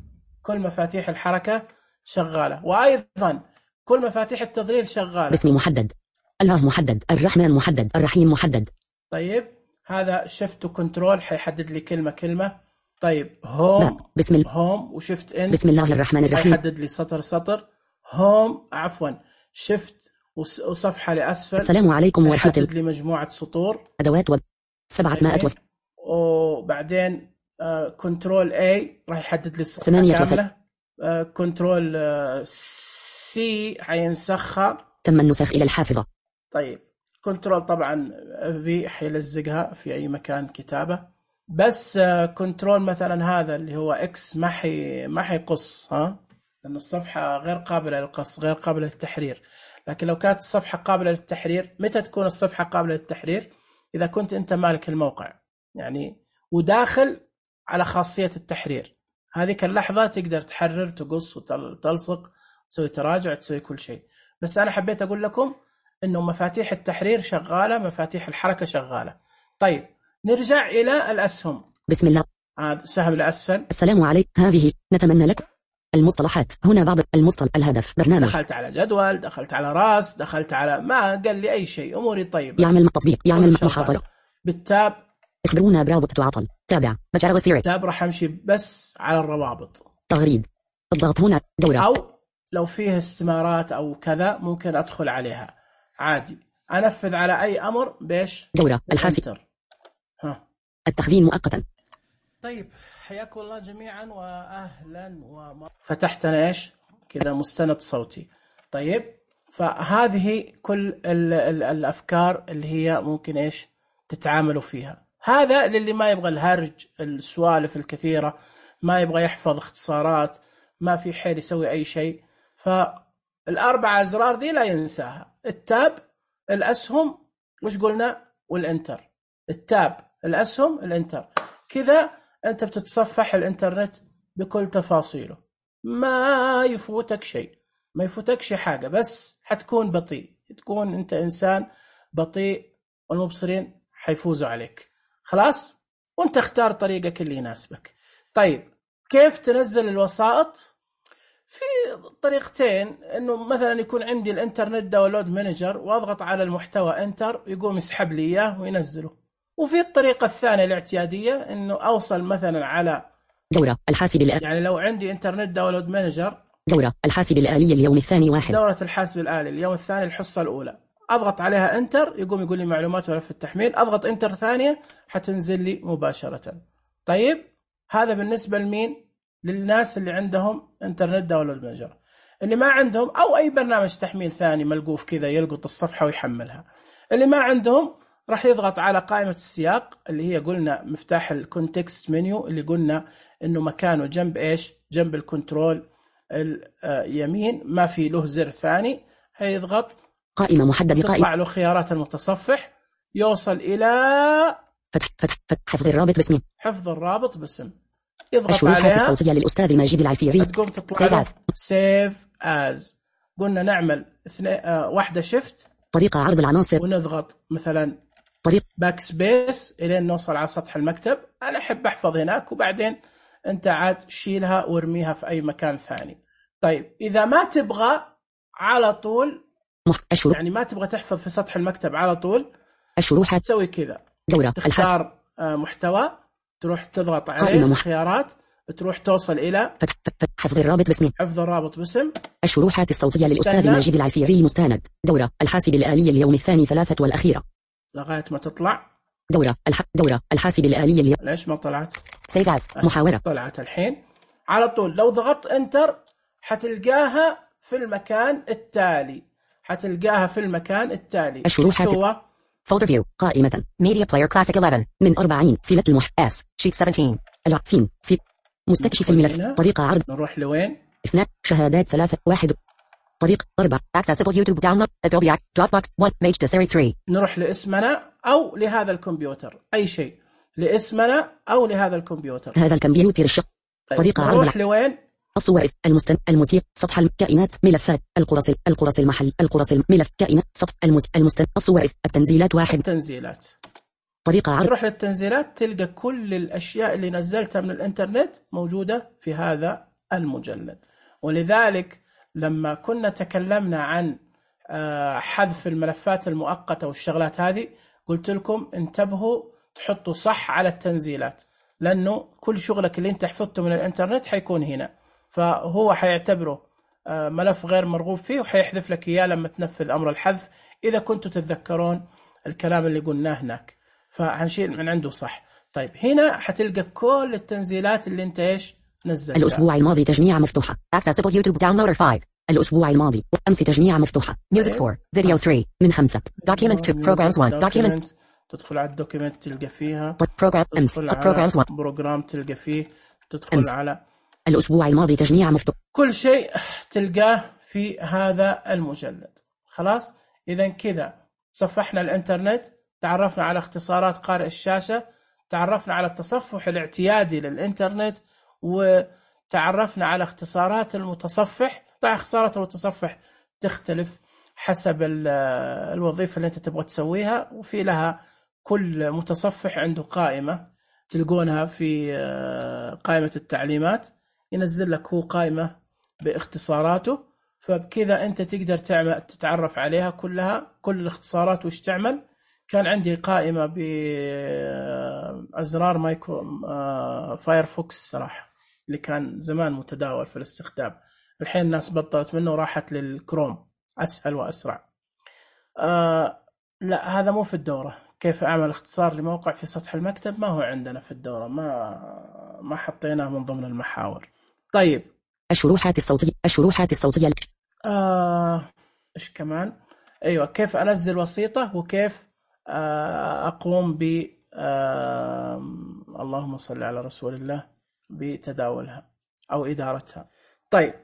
كل مفاتيح الحركة شغالة، وأيضا كل مفاتيح التظليل شغالة. باسم محدد، الله محدد، الرحمن محدد، الرحيم محدد. طيب هذا شفت وكنترول حيحدد لي كلمة كلمة. طيب هوم بسم الله. هوم وشفت ان بسم الله الرحمن الرحيم حيحدد لي سطر سطر. هوم عفوا شفت وصفحة لأسفل. السلام عليكم ورحمة الله. حدد لي مجموعة سطور، أدوات وب سبعة مائة وف... وبعدين آه كنترول اي راح يحدد لي الصفحة كاملة. آه كنترول آه سي حينسخها. تم النسخ إلى الحافظة. طيب كنترول طبعا في حيلزقها في أي مكان كتابة، بس كنترول مثلا هذا اللي هو إكس ما حي ما حيقص، ها، لأن الصفحة غير قابلة للقص، غير قابلة للتحرير. لكن لو كانت الصفحة قابلة للتحرير، متى تكون الصفحة قابلة للتحرير؟ إذا كنت أنت مالك الموقع يعني وداخل على خاصية التحرير، هذيك اللحظة تقدر تحرر، تقص وتلصق، تسوي تراجع، تسوي كل شيء. بس أنا حبيت أقول لكم إنه مفاتيح التحرير شغالة، مفاتيح الحركة شغالة. طيب نرجع إلى الأسهم. بسم الله. هذا سهم لأسفل. السلام عليك. هذه نتمنى لك المصطلحات هنا. بعض المصطلح الهدف برنامج. دخلت على جدول، دخلت على راس، دخلت على ما قال لي أي شيء، أموري طيبة. يعمل تطبيق، يعمل محاضرة. بالتاب اخبرونا برابط تعطل. تابع مجال وسيرة. تاب راح أمشي بس على الروابط. تغريد. الضغط هنا دورة. أو لو فيه استمارات أو كذا ممكن أدخل عليها عادي. أنفذ على أي أمر بيش دورة الحاسب. ها. التخزين مؤقتا. طيب حياكم الله جميعا وأهلا ومرحبا. فتحتنا إيش كذا مستند صوتي. طيب فهذه كل ال ال الأفكار اللي هي ممكن إيش تتعاملوا فيها. هذا للي ما يبغى الهرج، السوالف الكثيرة، ما يبغى يحفظ اختصارات، ما في حيل يسوي أي شيء. فالأربع أزرار دي لا ينساها. التاب، الأسهم، وش قلنا، والإنتر. التاب، الأسهم، الإنتر. كذا أنت بتتصفح الإنترنت بكل تفاصيله، ما يفوتك شيء، ما يفوتك شيء حاجة، بس حتكون بطيء، تكون أنت إنسان بطيء والمبصرين حيفوزوا عليك. خلاص، وأنت اختار طريقك اللي يناسبك. طيب كيف تنزل الوسائط؟ في طريقتين، انه مثلا يكون عندي الانترنت داونلود مانجر واضغط على المحتوى انتر يقوم يسحب لي اياه وينزله. وفي الطريقه الثانيه الاعتياديه، انه اوصل مثلا على دورة الحاسب الآلي. يعني لو عندي انترنت داونلود مانجر، دورة الحاسب الآلي اليوم الثاني واحد. دورة الحاسب الآلي اليوم الثاني الحصة الأولى، أضغط عليها انتر يقوم يقول لي معلومات ملف التحميل، أضغط انتر ثانية حتنزل لي مباشرة. طيب هذا بالنسبة لمين؟ للناس اللي عندهم انترنت داونلود مانجر. اللي ما عندهم او اي برنامج تحميل ثاني ملقوف كذا يلقط الصفحه ويحملها. اللي ما عندهم راح يضغط على قائمه السياق اللي هي قلنا مفتاح الكونتكست منيو، اللي قلنا انه مكانه جنب ايش، جنب الكنترول اليمين، ما في له زر ثاني. هيضغط قائمه محدده، قائمه تطلع له خيارات المتصفح، يوصل الى فتح فتح فتح حفظ الرابط باسم، حفظ الرابط باسم، يضغط الشروحات عليها الصوتية للأستاذ ماجد العسيري، تقوم تطلع سيف از. قلنا نعمل اثنين آه واحدة شيفت، طريقة عرض العناصر، ونضغط مثلا طريق باك سبيس الين نوصل على سطح المكتب. انا احب احفظ هناك، وبعدين انت عاد شيلها وارميها في اي مكان ثاني. طيب اذا ما تبغى على طول الشروح. يعني ما تبغى تحفظ في سطح المكتب على طول، الشروحات تسوي كذا، دورة تختار آه محتوى، تروح تضغط عليه الخيارات، تروح توصل إلى فتح فتح حفظ الرابط باسم، حفظ الرابط باسم، الشروحات الصوتية للأستاذ ماجد العسيري مستند، دورة الحاسب الآلي اليوم الثاني ثلاثة والأخيرة، لغاية ما تطلع دورة الح... دورة الحاسب الآلي اليوم. ليش ما طلعت؟ سيف از محاورة، طلعت الحين على طول. لو ضغطت انتر حتلقاها في المكان التالي، حتلقاها في المكان التالي. الشروحات هو فولدر فيو، قائمة ميديا بلاير كلاسيك إحدى عشر من أربعين، سلة المح اس شيت سبعتاشر، العسين سي مستكشف الملف، طريقة عرض، نروح لوين؟ اثنان، شهادات ثلاثة، واحد، طريق أربعة، accessible YouTube download Adobe Dropbox one page to series ثلاثة. نروح لاسمنا أو لهذا الكمبيوتر، أي شيء لاسمنا أو لهذا الكمبيوتر، هذا الكمبيوتر الشق. طيب. طريقة عرض نروح لوين؟ الصور، المستن الموسيقى، سطح الكائنات، ملفات، القرص القرص المحل، القرص الملف، كائنات، سطح المس المستن الصور، التنزيلات واحد، التنزيلات. طريقة عرض، تروح للتنزيلات تلقى كل الأشياء اللي نزلتها من الإنترنت موجودة في هذا المجلد. ولذلك لما كنا تكلمنا عن حذف الملفات المؤقتة والشغلات هذه، قلت لكم انتبهوا تحطوا صح على التنزيلات، لأنه كل شغلك اللي انت حفظته من الإنترنت حيكون هنا، فهو حيعتبره ملف غير مرغوب فيه وحيحذف لك إياه لما تنفذ أمر الحذف، إذا كنتوا تتذكرون الكلام اللي قلناه هناك، فهنشيل من عنده صح. طيب هنا حتلقى كل التنزيلات اللي انت ايش نزلتها. الأسبوع الماضي تجميع مفتوحة accessible YouTube downloader خمسة الأسبوع الماضي. أمس تجميع مفتوحة. Music four. Video three. من خمسة. Documents two. Programs one. Documents. تدخل على الدوكيمنت تلقى فيها. Program أمس. Programs one. بروجرام تلقى فيه. تدخل أمس. على الأسبوع الماضي تجميع مفتوح. كل شيء تلقاه في هذا المجلد. خلاص. إذا كذا صفحنا الإنترنت، تعرفنا على اختصارات قارئ الشاشة، تعرفنا على التصفح الاعتيادي للإنترنت، وتعرفنا على اختصارات المتصفح. طبعا اختصارات المتصفح تختلف حسب الوظيفة اللي أنت تبغى تسويها، وفي لها كل متصفح عنده قائمة تلقونها في قائمة التعليمات، ينزل لك هو قائمة باختصاراته، فبكذا أنت تقدر تعمل تتعرف عليها كلها، كل الاختصارات وش تعمل. كان عندي قائمة بأزرار مايكرو فايرفوكس صراحة، اللي كان زمان متداول في الاستخدام، الحين الناس بطلت منه وراحت للكروم، أسهل وأسرع. آه لا، هذا مو في الدورة. كيف أعمل اختصار لموقع في سطح المكتب؟ ما هو عندنا في الدورة، ما ما حطيناه من ضمن المحاور. طيب، الشروحات الصوتية. الشروحات الصوتية. آه إيش كمان؟ أيوة، كيف أنزل وسيطة، وكيف آه أقوم ب آه اللهم صل على رسول الله بتداولها أو إدارتها. طيب،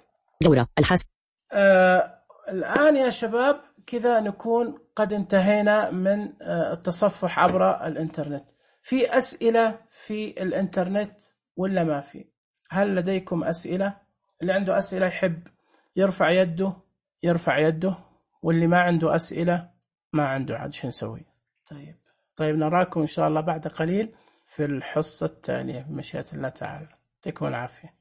دورة الحاسب. آه الآن يا شباب كذا نكون قد انتهينا من آه التصفح عبر الإنترنت. في أسئلة في الإنترنت ولا ما في؟ هل لديكم أسئلة؟ اللي عنده أسئلة يحب يرفع يده يرفع يده، واللي ما عنده أسئلة ما عنده، عاد شو نسوي؟ طيب طيب نراكم إن شاء الله بعد قليل في الحصة التالية بمشيئة الله تعالى. يعطيكم العافية.